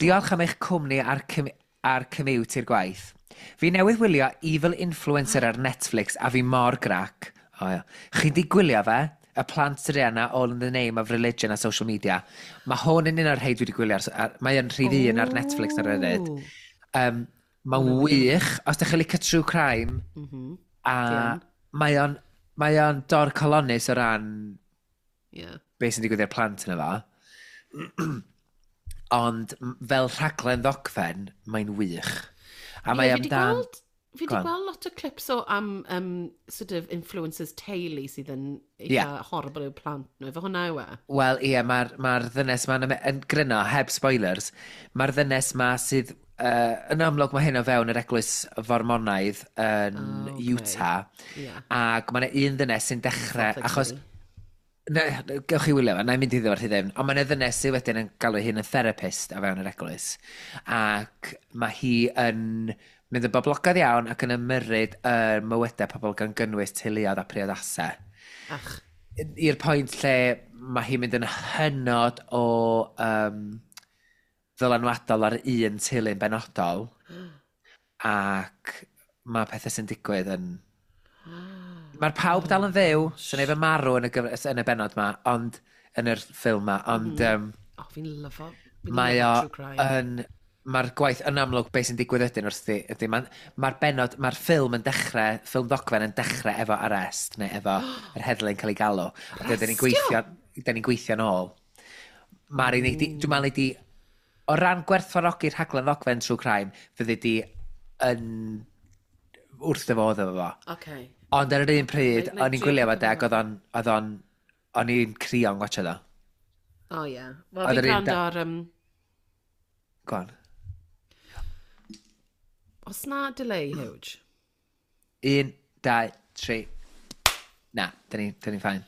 diolch am eich cwmni ar commute i'r gwaith. Fi newydd wylio Evil Influencer ar Netflix a fi mor grac. O, ia. Chi di gwylio fe? Y plant druan 'na all in the name of religion a social media. Mae hwn yn un o'r rhai dwi wedi gwylio. Mae yn rhif 1 ar Netflix ar y funud. Mae'n wych. Os ydych chi'n licio true crime, a Fi yn. mae o'n dorcalonnus o ran beth sy'n digwydd i'r plant yna fo. Ond fel rhaglen ddogfen, mae'n wych. A mae Ie, fi 'di amdan Fi Go wedi on. gweld lot o clips o am sort of influencers teulu sydd yn eitha horrible i'w plant nhw. Efo hwnna yw e? Wel, ie, mae'r ddynes ma'n yn gryno, heb spoilers, mae'r ddynes ma sydd, yn amlwg mae hyn o fewn yr eglwys Formonaidd yn Oh, okay. Utah, ac mae yna un ddynes sy'n dechrau, Salt Lake achos City. Ne, gewch chi wylio fe, na i mynd iddo fo rhy ddim, ond mae yna ddynes sydd wedyn yn galw ei hun yn therapist o fewn yr eglwys, ac mae hi yn mynd yn boblogaidd iawn ac yn ymyrryd y mywydau pobl gan gynnwys teuluoedd a priodasau. Ach, I'r pwynt lle mae hi'n mynd yn hynod o ddylanwadol ar un teulu'n benodol, ac mae pethau sy'n digwydd yn... Mae'r pawb dal yn fyw, sy'n neb yn marw yn y bennod ma, ond yn yr ffilm ma, ond Oh, fi'n lyfo. Fi'n mae o lyfo true crime. yn... Mae'r gwaith yn amlwg beth sy'n digwydd wedyn wrthi, ydy, mae'r bennod, mae'r ffilm yn dechrau, ffilm ddogfen yn dechrau efo arrest, neu efo yr heddlu'n cael ei galw. A dyn ni'n gweithio, dyn ni'n gweithio nôl. Mae'r unig, dwi'n meddwl di, o ran gwerthfawrogi'r rhaglen ddogfen true crime, fyddi di yn wrth dy fodd efo fo. Okay. Ond ar yr un pryd, Nai o'n i'n drio gwylio fo pigo de, ac o'n i'n crio'n gwatchio ddo. Oh, yeah. Wel, Oedd fi'n yr un gwrando ar... Go on. Os na delay, huge. 1, 2, 3. Na, dyn ni'n fine.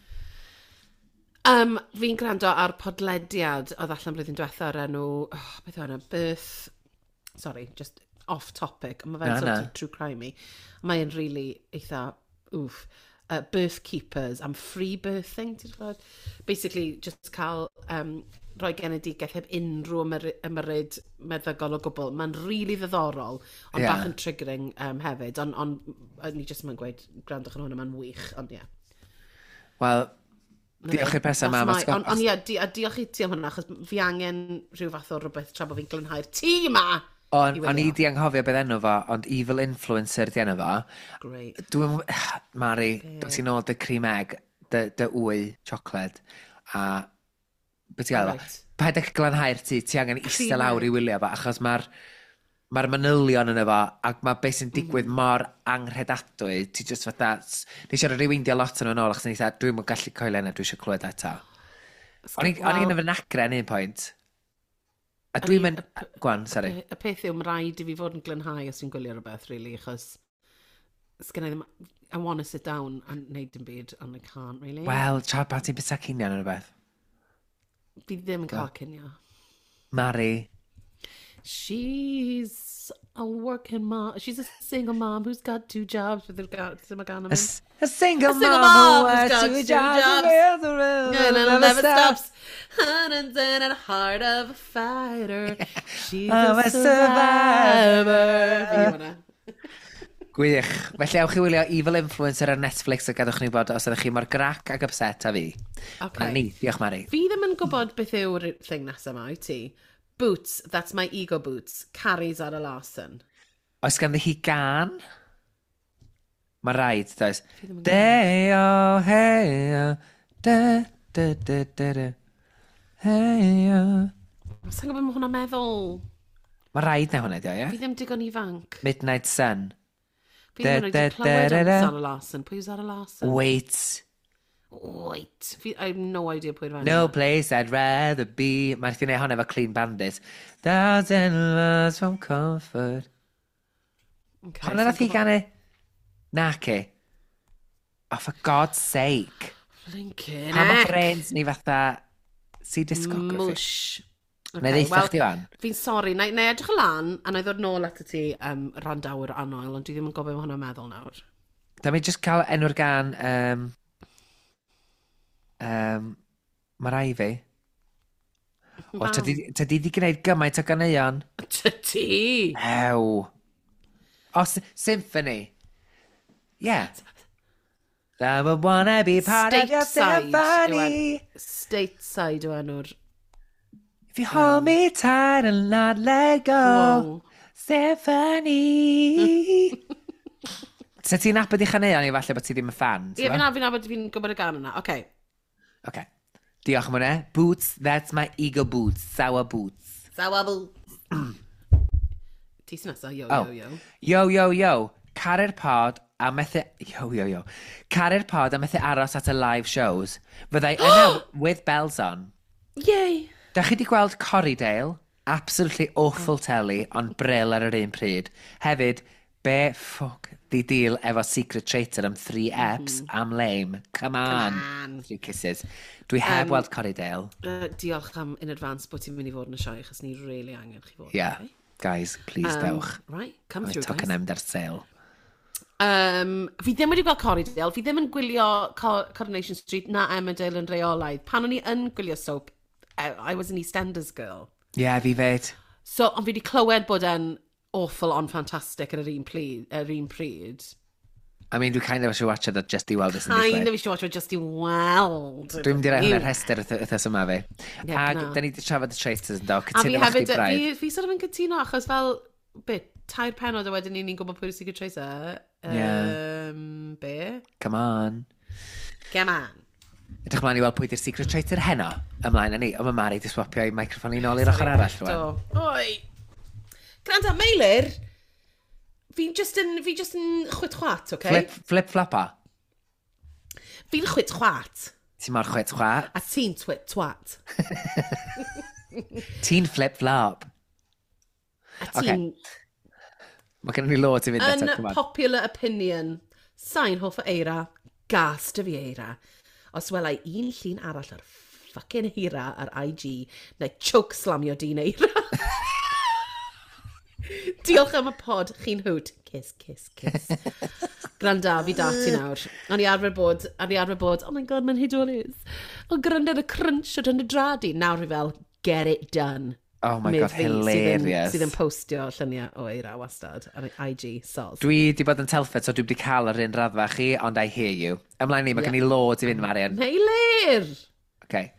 Fi'n gwrando ar podlediad oedd allan blwyddyn diwetha o'r enw... Oh, beth yw enw? Birth... Sorry, just off topic. Ond mae fe'n Na, sort na. of true crime-y. Mae'n really eitha... Oof. Birth Keepers am free birthing, ti'n gwybod? Basically, just cael rhoi genedigaeth heb unrhyw ymyrryd meddygol o gwbl. Mae'n really ddiddorol, ond bach yn triggering hefyd. Ond ni jyst yn gweud, gwrandwch yn hwnna, mae'n wych, ond ie. Yeah. Wel, diolch i'r person ma. Ond ie, a diolch i ti am hwnna, achos fi angen rhyw fath o rhywbeth tra bod fi'n glanhau'r tŷ ma! On, i o'n i wylio. di anghofio beth enw fo, ond Evil Influencer di enw fo. Great. Dwi'n... Mari, dod ti'n nôl dy cream egg, dy wy chocolate, a... Beth ti'n gael fo? Reit. Paid â glanhau'r tŷ, ti angen eistedd Cream lawr egg. i wylio fo, achos mae'r manylion yna fo, ac mae beth sy'n digwydd mor anghredadwy, ti just fatha... Nes i rewindio lot yn ôl, achos nes i dwi'n gallu coelio yna, dwi eisiau clywed eto. O'n i'n fy nagre yn un pwynt. A dwi'n mynd... Go on, sorry. Y peth yw, mae rhaid i fi fod yn glanhau os dwi'n gwylio rhywbeth, really, achos sgynna i ddim... I want to sit down and neud dim byd, and I can't, really. Wel, tra pan ti'n byta cinio neu rhywbeth. Fi ddim yn cael cinio. Mari. She's a working mom. She's a single mom who's got two jobs. With her got, A, a single, A single mom, mom who who's has got two two jobs. jobs. And And it never stops. And then a heart of a fighter. She's I'm a a survivor. Fi yw hwnna. Gwych. Felly awch i wylio Evil Influencer ar Netflix a gadwch ni bod os ydych chi mor grac ac upset a fi. Okay. Na ni, diolch Mari. Fi ddim yn gwybod beth yw'r thing nesaf yma, wyt ti? Boots, that's my ego boots. Carrie Zara Larson. Oes ganddi hi gan? Mae rhaid, does? Fi ddim yn De o hei o, de de de de de. Hei o. Sa'n gwybod mae hwnna'n meddwl. Mae rhaid na hwnna, dio, ie? Fi ddim digon ifanc. Midnight Sun. Fi ddim yn Da, wedi da, clywed da, am da. Zara Larson. Pwy yw Zara Larson? Wait. Wait. I have no idea pwy'r fan. No place I'd rather be. Mae'n gwneud hwnna efo Clean Bandit. Thousand miles from comfort. Okay, Hwnna nath hi ganu? Naci. Oh, for God's sake. Blinking Pa mae heck. brains ni fatha... See discography. Mwsh. Na i ddeutha chdi wan. Fi'n sori, na i edrych y lan, a na i ddod nôl at ti randawr annwyl, ond dwi ddim yn gwybod beth mae hwnna'n meddwl nawr. Da mi just cael enw'r gan... Mae rai fi. O, tydi di gwneud gymaint o ganeuon. Tydi! Ew. O, Symphony. Yeah. I would wanna be part of your symphony. Stateside yw enw'r... If you hold me tight and not let go, wow. Symphony. Se ti'n nabod i chaneuon i falle bod ti ddim yn fan? Ie, fi'n nabod, fi'n gwybod y gan yna. Oce. Okay. Diolch am hwnna. Boots, that's my ego boots. Sour boots. Sour boots. Ti sy'n nesaf, yo, oh. Yo, yo. Yo, yo, yo. Caru'r pod a methu... Yo, yo, yo. Caru'r pod a methu aros at y live shows. Fyddai yna with bells on. Yay! Da chi di gweld Corriedale? Absolutely awful telly, ond bril ar yr un pryd. Hefyd, be ffwc di deal efo Secret Traitor am 3 eps am lame. Come on. Come on. Three kisses. Dwi heb weld Corriedale. Diolch am in advance bod ti'n mynd i fod yn y sioe, achos ni really angen chi fod. Yeah. Okay? Guys, please dewch. Right, come Mae through, token guys. am ar sale. Fi ddim wedi gweld Corriedale, fi ddim yn gwylio Coronation Street na Emmerdale yn reolaidd. Pan o'n i yn gwylio soap, I was an EastEnders girl. Yeah, fi fyd. So, ond fi wedi clywed bod e'n awful ond fantastic ar yr un, yr un pryd. I mean, dwi kind of eisiau watch it just i weld beth sy'n Kind digwydd. of eisiau watch it just i weld. Dwi'n mynd i roi hwnna'r rhestr wythnos yma fi. Ie, Ac na. da ni wedi trafod y Traitors yn do. A fi Cytuno efo chdi hefyd, braidd. fi sort of yn cytuno, achos fel, bit, 3 penod a wedyn ni'n gwybod pwy yw'r Secret Traitor. Ie. Be? Come on. Come on. Edrych ymlaen i weld pwy di'r Secret Traitor heno. Ymlaen â ni. Ond mae Mari di swapio i microffon i nôl i'r ochr arall rwan. Do. Oi. Gwranda, Meilir, fi'n just yn, fi just yn chwit chwat, oce? Flip, flip flopa. Fi'n chwit chwat, Ti'n mor chwit chwat. a ti'n twit twat. Ti'n flip flop. A ti'n Mae gennym ni loads i fynd eto. come on. Unpopular opinion. Sa'n hoff o eira, gas dy fi eira. Os welai un llun arall o'r fucking eira ar IG, na i choke slamio dyn eira. Diolch am y pod, chi'n hoot. Kiss, kiss, kiss. Gwranda, fi da ti nawr. O'n i arfer bod, o'n i arfer bod, oh my god, mae'n hudolus. O, gwranda ar y crunch o dan y drad i. Nawr fi fel, get it done. Oh my Medd god, fi, hilarious. Sydd yn postio lluniau o eira wastad ar IG, soz. Dwi di bod yn Telford, so dwi wedi cael yr un raddfa chi, ond I hear you. Ymlaen ni, mae gen i loads i fynd, Marian. Meilir! Okay.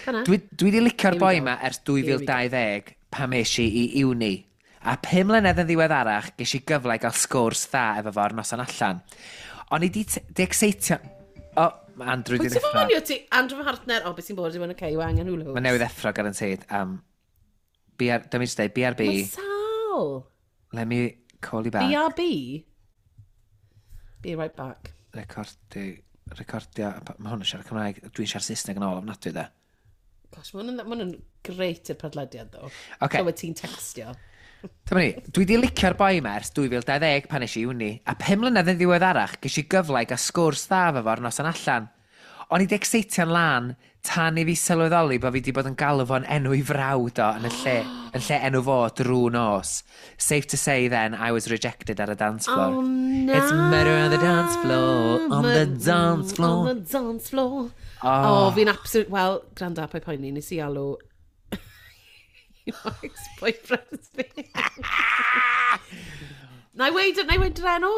Cynna. Dwi di licio'r Here we boi go. ma ers Here we go. 2020 pan es i i uni. A 5 mlynedd yn ddiweddarach, ges i gyfle i gael sgwrs dda efo fo ar noson allan. O'n i di, di exeitio... O, mae Andrew di Wyt ti'n ddeffro. ffonio ti? Andrew fy Hartner, o, beth sy'n bod, yw'n okay, yw angen hula hoops. Mae newydd effro, guaranteed. BR, dyma i jyst deud, BRB. Mae sal. Let me call you back. BRB? Be right back. Recordio, mae hwn yn siarad Cymraeg, dwi'n siarad Saesneg yn ôl ofnadwy de. Gosh, mae hwn yn greit i'r podlediad, ddo. Ocê. Clywed ti'n textio. Dyma ni, dwi di licio'r boi yma ers 2020 pan es i uni, a 5 mlynedd yn ddiweddarach ges i gyfle i gael sgwrs dda efo fo ar noson allan. O'n i di exeitio'n lan tan i fi sylweddoli bod fi di bod yn galw fo'n enw i frawd o yn y lle, yn lle enw fo drwy nos. Safe to say then, I was rejected ar y dance floor. Oh, na. It's murder on the dance floor, on the dance floor. On the dance floor. Oh. Oh, fi'n absolute... Wel, gwranda, pa'i poeni, nes i alw un o ex-boyfriends fi. Na i weid, na i weid yr enw?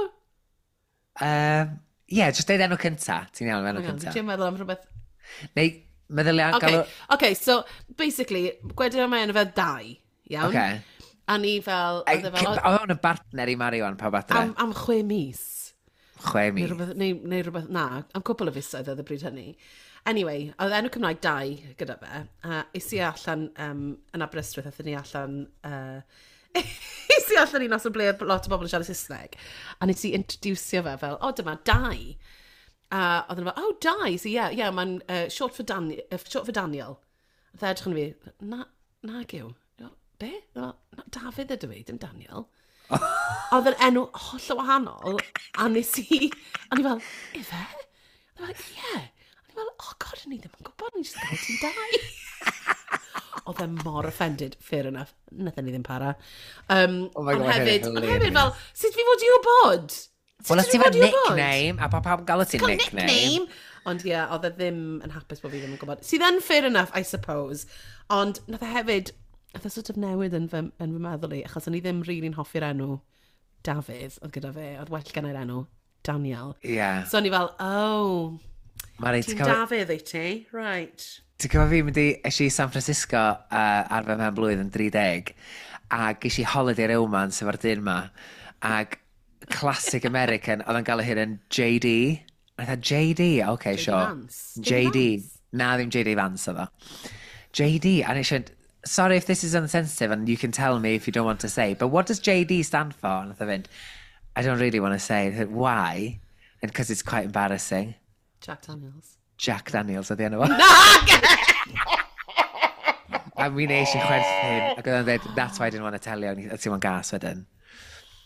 Ie, just deud enw cynta. Ti'n iawn, enw Hang on, cynta. Dwi'n meddwl am rhywbeth. Neu, meddylia, Okay, galw... okay, so basically, gwedyn am enw fel Dai, iawn? Ocê. A ni fel, Ei, oedd e fel, Oedd hwn yn bartner i Mari wan, pawb adre. am 6 mis. 6 Neu mis. rhywbeth, neu rhywbeth, na, am cwpl o fisoedd oedd y bryd hynny. Anyway, oedd enw Cymraeg Dai gyda fe, a es i allan yn Aberystwyth, aethon ni allan, es i allan un noson ble oedd lot o bobl yn siarad Saesneg, a nes i introducio fe fel, o, dyma Dai. A oedden nhw fel, oh, Dai, so yeah, yeah, mae'n short for short for Daniel. A dde edrych yn fi, na, nag yw. Be? Na, Dafydd ydw i, dim Daniel. Oedd yn enw holl o wahanol, a nes i, a ni fel, ife? A ni fel, ie. A ni fel, oh god, o'n i ddim yn gwybod, o'n i just gael ti'n Dai. Oedd e mor offended, fair enough. Nathon ni ddim para. Oh my God, ond mae hyn yn hefyd, ond hefyd hilarious. fel, sut fi fod i wybod? Wel, os ti efo nickname, a pa pawb yn galw ti'n nickname. Nickname. Ond ie, yeah, oedd e ddim yn hapus bod fi ddim yn gwybod. Sydd yn fair enough, I suppose. Ond nath e hefyd, nath e sort of newid yn fy meddwl i, achos o'n i ddim really'n hoffi'r enw Dafydd, oedd gyda fe, oedd well gen i'r enw Daniel. So o'n i fel, oh, Mari, ti'n ti'n cofio Dafydd i ti? Right. Ti'n cofio fi mynd i, es i San Francisco ar fy mhen blwydd yn 30, a ges i holiday romance efo'r dyn ma, ag classic American, oedd yn gael ei hun yn JD. A I thought, JD, okay, JD sure. Vance. JD. JD Vance. Na, ddim JD Vance oedd o. JD, and it should, sorry if this is unsensitive and you can tell me if you don't want to say, but what does JD stand for? And I fynd, I don't really want to say. I said, why? And because it's quite embarrassing. Jack Daniels. Jack Daniels oedd enw fo. A mi nes i chwerthin, ac oedd o'n dweud, that's why I didn't want to tell you, a ti'n gas wedyn.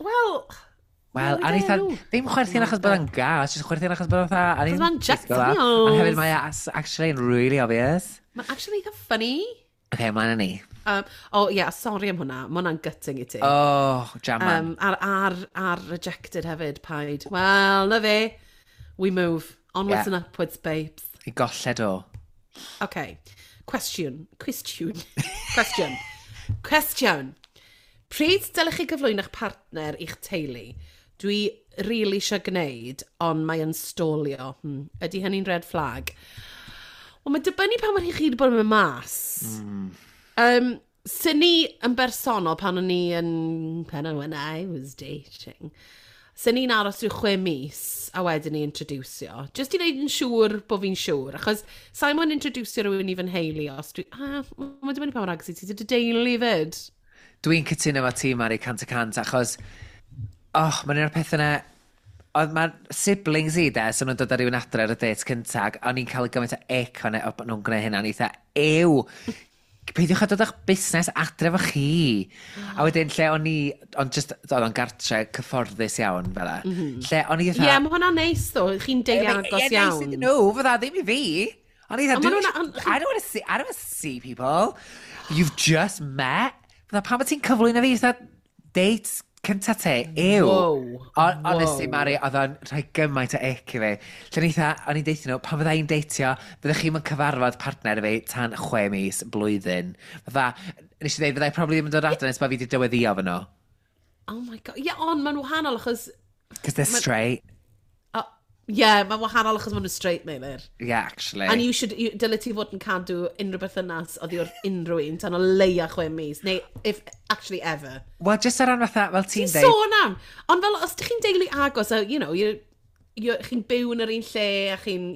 Wel, Wel, Newid a ni enw. ddim chwerthin achos bod o'n gas, just chwerthin achos bod o'n fatha... Achos ma'n Jack Ond Daniels. hefyd mae actually yn really obvious. Mae'n actually eitha funny. Okay, mlaen â ni. Oh, yeah, sorry am hwnna. Mae hwnna'n gutting i ti. Oh, jaman. Ar rejected hefyd, paid. Wel, na fe. We move. Onwards and upwards, babes. I golled o. Okay. Question. Question. Question. Question. Pryd dylech chi gyflwyno'ch partner i'ch teulu? Dwi really eisiau gwneud, ond mae yn stolio. Ydy hynny'n red flag? Wel, mae'n dibynnu pan mae chi wedi bod yn mynd mas. Sy'n ni yn bersonol pan o'n i yn... Pan when I was dating. Sy'n ni'n aros rhyw 6 mis a wedyn ni introducio. Just i wneud yn siŵr bod fi'n siŵr. Achos sa'n moyn introducio rhywun i fy nheulu os dwi... Ah, mae'n dibynnu pa mor agos i ti dy deulu fyd. Dwi'n cytuno efo ti, Mari, 100%, achos... Oh, mae'n un o'r pethau yna... Oedd mae'r siblings i, de, so nhw'n dod ar rywun adre ar y date cyntaf, ac o'n i'n cael gymaint o ick o'n e, o nhw'n gwneud hynna, o'n i eitha, ew, peidiwch â dod â'ch busnes adre efo chi. A wedyn, lle o'n i, ond just, oedd o'n gartre cyfforddus iawn, fel e. Lle o'n i Ie, eitha... yeah, mae hwnna'n neis ddo. Chi'n deulu agos Ie, iawn. Nice iddyn nhw, fydda ddim i fi. O'n i eitha, Ond ma' nhw'n- I don't want to see, I don't want to see people you've just met. Fydda, pam bod ti'n cyflwyno fi, fatha, dates cynta te, ew. Wow. Honestly, Wow. Mari, oedd o'n rhoi gymaint o ick i fi. Lle o'n eitha, o'n i'n deithio nhw, pan fydda i'n deitio, fyddech chi'n mynd cyfarfod partner fi tan 6 mis, blwyddyn. Fydda, nes i dweud, fydda i probably ddim yn dod adre nes bod fi wedi dyweddio fy nhw. Oh my God. Ie, yeah, ond mae'n wahanol achos... Because they're straight. Oh, yeah, mae'n wahanol achos maen nhw'n straight, Meilir. Yeah, actually. And you should, you, dyle ti fod yn cadw unrhyw berthynas oddi wrth unrhyw un tan o leia 6 mis, neu if actually ever. Well, just ar ran fatha, fel ti'n Ti'n deud... sôn am? Ond fel, os ydych chi'n deulu agos, a, you know, chi'n byw yn yr un lle, a chi'n.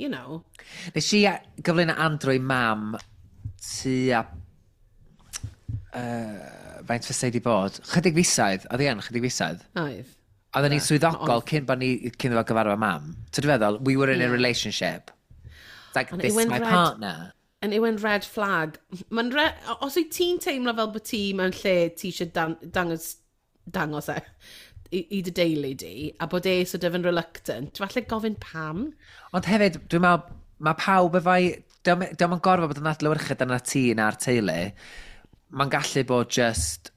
Nes i gyflwyno Andrew i mam tua... Faint fysa i di bod? Chydig fisoedd, oedd hi yn chydig fisoedd. Oedd. Oedden ni'n swyddogol cyn bod ni, cyn iddo fo gyfarfod mam. So dwi'n feddwl, we were in a relationship. It's like, And this it is went my red. partner. And it went red flag. Mae'n re... Os wyt ti'n teimlo fel bod ti mewn lle ti eisiau dangos e i dy deulu di, a bod e sort of yn reluctant, falle gofyn pam. Ond hefyd, dwi'n meddwl, mae pawb efo'i... Dio'm yn gorfod bod yn adlewyrchu dyna ti na'r teulu. Mae'n gallu bod just...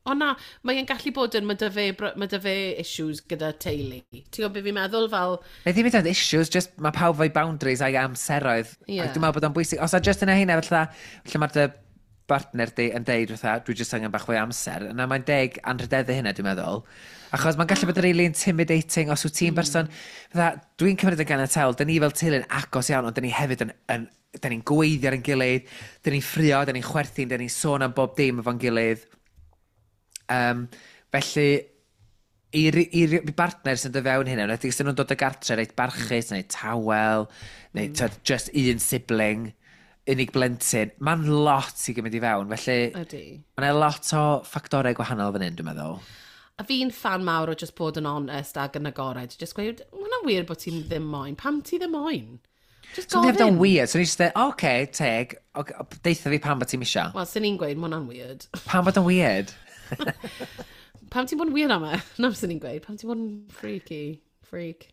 O na, mae'n gallu bod yn, mae dy fe issues gyda teulu. Ti'n gwybod beth fi'n meddwl fel, Neu ddim hyd yn oed issues, just mae pawb efo'i boundaries a'i amseroedd. Ie. Ac dwi'n meddwl bod o'n bwysig. Os a just yna hynna, fatha, lle mae'r dy bartner di yn deud fatha, dwi just angen bach fwy o amser, yna mae'n deg anrhydeddu hynna, dwi'n meddwl. Achos mae'n gallu bod yn really intimidating os wyt ti'n person, fatha, dwi'n cymryd yn ganiataol, dyn ni fel teulu'n agos iawn, ond dyn ni hefyd yn dyn ni'n gweithio ar ein gilydd, dyn ni'n ffrio, dyn ni'n chwerthin, dyn ni'n sôn am bob dim efo'n gilydd. Felly, i bartner sy'n dod fewn hynna, enwedig os ydyn nhw'n dod o gartre reit barchus, neu tawel, neu mm. just un sibling, unig blentyn, mae'n lot i gymryd i fewn, felly Ydy. mae'n lot o ffactorau gwahanol fan hyn, dwi'n meddwl. A fi'n fan mawr o just bod yn honest ac yn agored. Just gweud, "Ma' hwnna'n wir bod ti'n ddim moyn. Pam ti ddim moyn? Just So ni'n gofyn. o'n weird, so ni'n just dweud, oce, teg, okay, deitha fi pam bod ti'n isio. Wel, sy'n ni'n gweud, ma' hwnna'n weird. Pam bod o'n weird? Pam ti'n bod yn weird am e? Na, sy'n ni'n gweud. Pam ti'n bod yn freaky? Freak.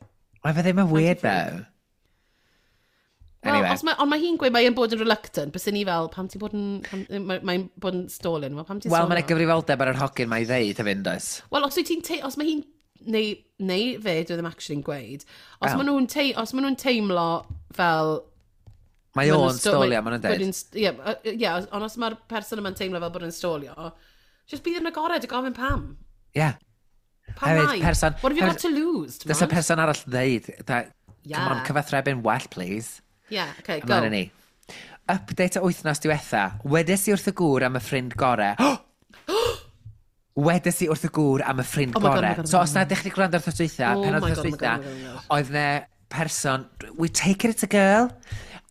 Mae fe ddim yn weird, though. Well, Anyway. os mae, ond mae hi'n gweud mae'n bod yn reluctant, bys ni fel, pam ti'n bod yn... Mae'n bod yn stalling. Wel, pam ti'n Wel, mae'n stalio? gyfrifoldeb ar yr hogyn mae i ddeud hefyd, does? Wel, os wyt ti'n os mae hi'n neu fe, dwi ddim actually'n gweud, os maen nhw'n te, os maen nhw'n teimlo fel. Mae o'n stolio, maen nhw'n dweud. Ie, yeah, ond os mae'r person yma'n teimlo fel bod yn stolio, just bydd yn agored a gofyn pam. Ie. Yeah. Pam hefyd, lai? Person, what have you got to lose? Does y person arall ddeud, that, yeah. Come on, cyfathrebu'n well, please. Yeah, okay, go. Ymlaen ni. Update o wythnos diwetha. Wedes i wrth y gŵr am y ffrind gore. Wedes i wrth y gŵr am y ffrind oh gore. God, so os na ydych chi gwrando ar wythnos dwytha, oh penod wythnos dwytha, oedd ne person, we take it it's a girl,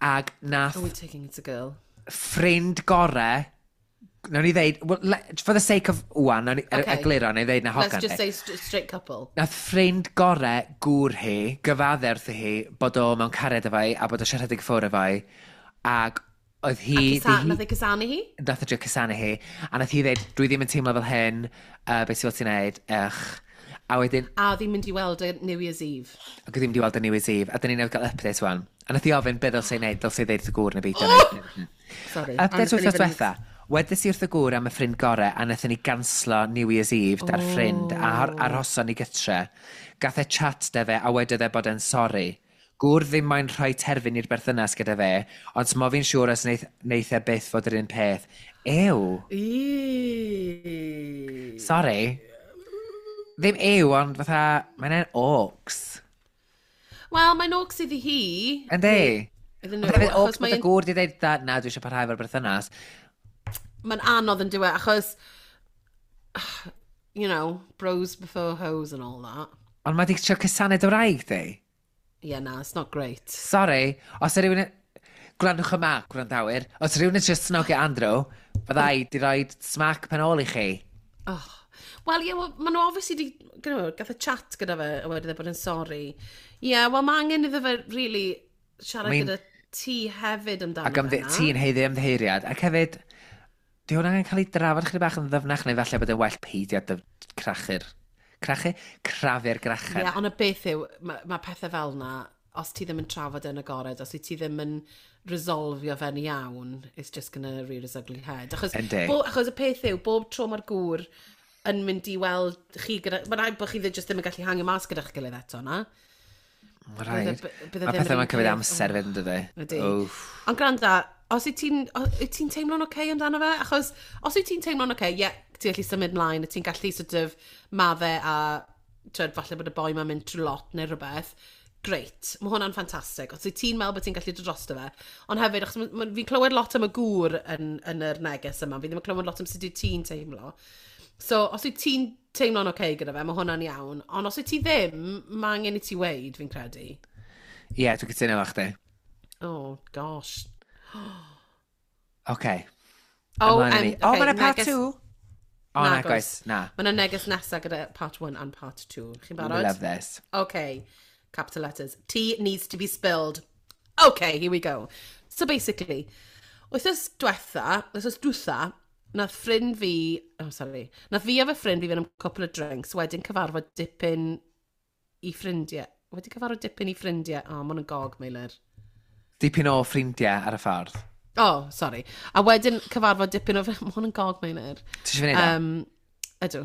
ag nath. Oh, we taking it a girl. Ffrind gore, nawn ni ddeud, well, for the sake of wan, nawn ni okay. Egluro, nawn ni ddeud na hogan. Let's just say straight couple. Nath ffrind gore gŵr hi, gyfadde wrthi hi, bod o mewn cariad efo hi, a bod o siarad i ffwrdd efo hi, ac oedd hi. A nath ei cysanu hi? Nath ei drio cysanu hi, a nath hi ddeud, "Dwi ddim yn teimlo fel hyn, beth sy'n ti'n neud, ych." A wedyn. A oedd hi'n mynd i weld y New Year's Eve. Ac oedd hi'n mynd i weld y New Year's Eve, a dyn ni'n newydd gael update wan. A nath hi ofyn beth ddylse i wneud, dylse i ddeud wrth y gŵr neu beidio. Oh! Sorry. Update wythnos diwetha. Wedes i wrth y gŵr am y ffrind gore a nathon ni ganslo New Year's Eve da'r ffrind a arhoson ni gytre. Gath e chat 'da fe a wedodd e bod e'n sori. Gŵr ddim moyn rhoi terfyn i'r berthynas gyda fe, ond smo fi'n siŵr os neith, neith e byth fod yr un peth. Ew. Sorry. Ddim ew, ond fatha, mae'n en orcs. Wel, mae'n orcs iddi hi. Yndi. Iddyn nhw. Hefyd, orcs bod y gŵr di dweud, na, dwi eisiau parhau efo'r berthynas. Mae'n anodd yn diwe, achos, bros before hoes and all that. Ond mae di trio cysanu dy wraig di. Yeah, na, it's not great. Sorry, os yw rhywun. Gwrandwch yma, gwrandawyr. Os yw rhywun yn trio snogio Andrew, fydda i di rhoi smack pen ôl i chi. Oh. Wel, ie, yeah, well, maen nhw obviously di, gath y chat gyda fe, a wedyn e bod yn sorry. Ie, yeah, wel, mae angen iddo fe, really, siarad gyda ti hefyd amdano Ac fe, ti'n haeddu ymddiheuriad. Ac hefyd, di hwnna angen cael ei drafod chydig bach yn ddyfnach, neu falle bod yn well peidio dy crachu'r. Crachu? Crafu'r grachen. Ie, yeah, ond y beth yw, mae ma pethau fel na, os ti ddim yn trafod yn agored, os ti ddim yn resolfio fe'n iawn, it's just gonna rear its ugly head. Achos, achos y peth yw, bob tro mae'r gŵr yn mynd i weld chi gyda. Mae'n rhaid bod chi ddim just ddim yn gallu hangio mas gyda'ch gilydd eto, na? Mae rhaid. Mae pethau mae'n cymryd amser fyd yn dydy. Ydy. Ond gwranda, os wyt ti'n ti teimlo'n oce okay amdano fe? Achos os wyt ti'n teimlo'n oce, okay, ie, yeah, ti'n gallu symud mlaen, a ti'n gallu sort of madde a twed, falle bod y boi ma'n mynd trwy lot neu rhywbeth, great, mae hwnna'n ffantastig. Os wyt ti'n meddwl bod ti'n gallu dod drosto fe. Ond hefyd, achos fi'n clywed lot am y gŵr yn yr neges yma, fi ddim yn clywed lot am sut wyt ti'n teimlo. So, os wyt ti'n teimlo'n oce okay gyda fe, mae hwnna'n iawn. Ond os wyt ti ddim, mae angen i ti weid, fi'n credu. Ie, yeah, dwi'n cytuno efo chdi. Oh, gosh. Oce. Oh, Ymlaen â ni. O, mae yna part 2. O, na, goes, na. Mae yna neges nesaf gyda part 1 and part 2. Chi'n barod? We love this. Okay. Capital letters. Tea needs to be spilled. Okay, here we go. So basically, wythnos diwetha, wythnos dwytha, nath ffrind fi, oh sorry, nath fi a fy ffrind fi fynd am couple of drinks, wedyn cyfarfod dipyn i ffrindiau. Wedi cyfarfod dipyn i ffrindiau. Oh, ma' hwn yn gog, Meilir. Dipyn o ffrindiau ar y ffordd. Oh, sorry. A wedyn cyfarfod dipyn o. Ma' hwn yn gog, Meilir. Ti eisiau fi wneud e? Ydw.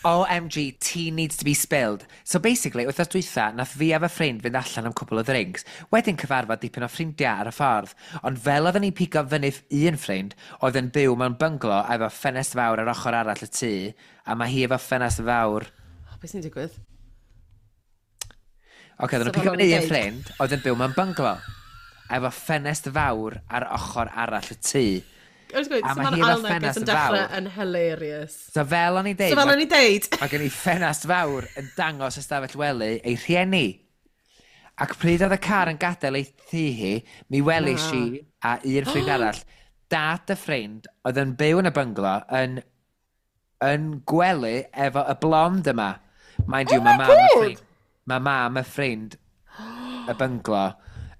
OMG, tea needs to be spilled. So basically, wythnos dwytha, nath fi a fy ffrind fynd allan am cwpl o ddrinks. Wedyn cyfarfod dipyn o ffrindiau ar y ffordd. Ond fel oedden ni'n pigo fyny un ffrind, oedd yn byw mewn bynglo a efo ffenest fawr ar ochr arall y tŷ, a mae hi efo ffenest fawr. Oh, beth sy'n digwydd? Oce, oedden nhw'n So pigo fel fyny o'n un i'n deud. ffrind, oedd yn byw mewn bynglo. A efo ffenest fawr ar ochr arall y tŷ. I was going, A so mae mae'r hi efo ail neges ffenest yn dechrau fawr. yn hilarious. So fel o'n i'n deud, So fel o'n i'n deud. Mae gen i ffenast fawr yn dangos ystafell wely ei rhieni. Ac pryd oedd y car yn gadael ei thŷ hi, mi welis i a un ffrind arall, dad y ffrind oedd yn byw yn y bynglo yn gwely efo y blond yma. Mind you, Oh mae my mam y God! ffrind, mae mam y ffrind y bynglo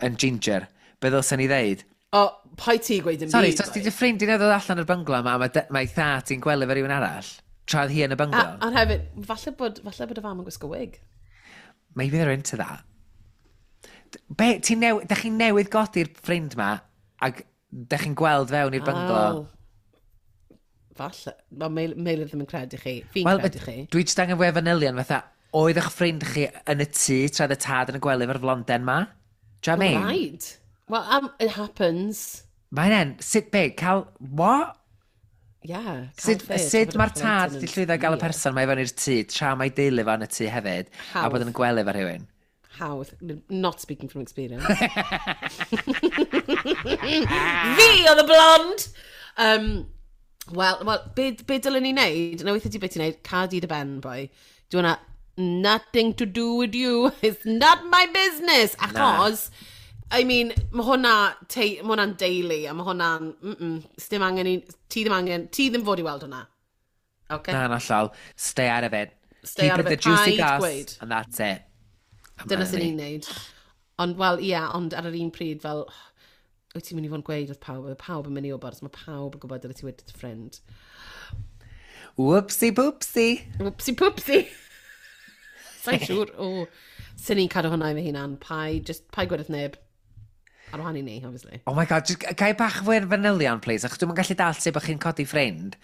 yn ginger. Be ddylsen ni ddeud? O, pai ti gweud yn Sorry, byd. so os ti dy ffrind i'n ddod allan o'r bynglo yma, a mae thad ti'n gwely efo rhywun arall, tra oedd hi yn y A, bynglo. ond hefyd, falle bod y fam yn gwisgo wig. Maybe they're into that. Be, ti'n da chi'n newydd godi'r ffrind ma, ac da chi'n gweld fewn i'r bynglo. Oh. Falle. Mae Meilir ddim yn credu chi. Fi'n Wel, credu chi. dwi jyst angen fwy o fanylion fatha, Oedd eich ffrind chi yn y tŷ tra oedd y tad yn y gwely efo'r flonden ma? Do you know what I mean? Right. Well, it happens. Mae'n en, sut be, cael, what? Yeah. Sut, sut mae'r tad di llwyddo gael y person mae i fewn i'r tŷ tra mae deulu fo yn y tŷ hefyd a bod yn gwely efo rhywun? Hawdd. Not speaking from experience. Fi oedd y blond! Well, be dylen ni wneud? Na weithio ti beth ti'n wneud, cad i dy ben, boy. Do hwnna, nothing to do with you. It's not my business. Achos, I mean, mae hwnna, mae hwnna'n deulu, a mae hwnna'n, dim angen i, ti ddim angen, ti ddim fod i weld hwnna. Okay? Na, na llal. Stay out of it. Stay Keep out of it it. the juicy Paid goss, gweud. and that's it. A Dyna ma' sy'n ni. ni'n neud. Ond, wel, ie, ond ar yr un pryd, fel, wyt ti'n mynd i fod yn gweud wrth pawb, oedd pawb yn mynd i wybod, so mae pawb yn gwybod dyle ti wedi dy ffrind. Whoopsie poopsie. Whoopsie poopsie. Sa'n siŵr, o. Sy'n ni'n cadw hwnna i fy hunan, pai, just, pai gweud wrth neb. Ar wahân i ni, obviously. Oh my God, just, ga i bach fwy ar fanylion, please? Achos dwi'n gallu dall sut bod chi'n codi ffrind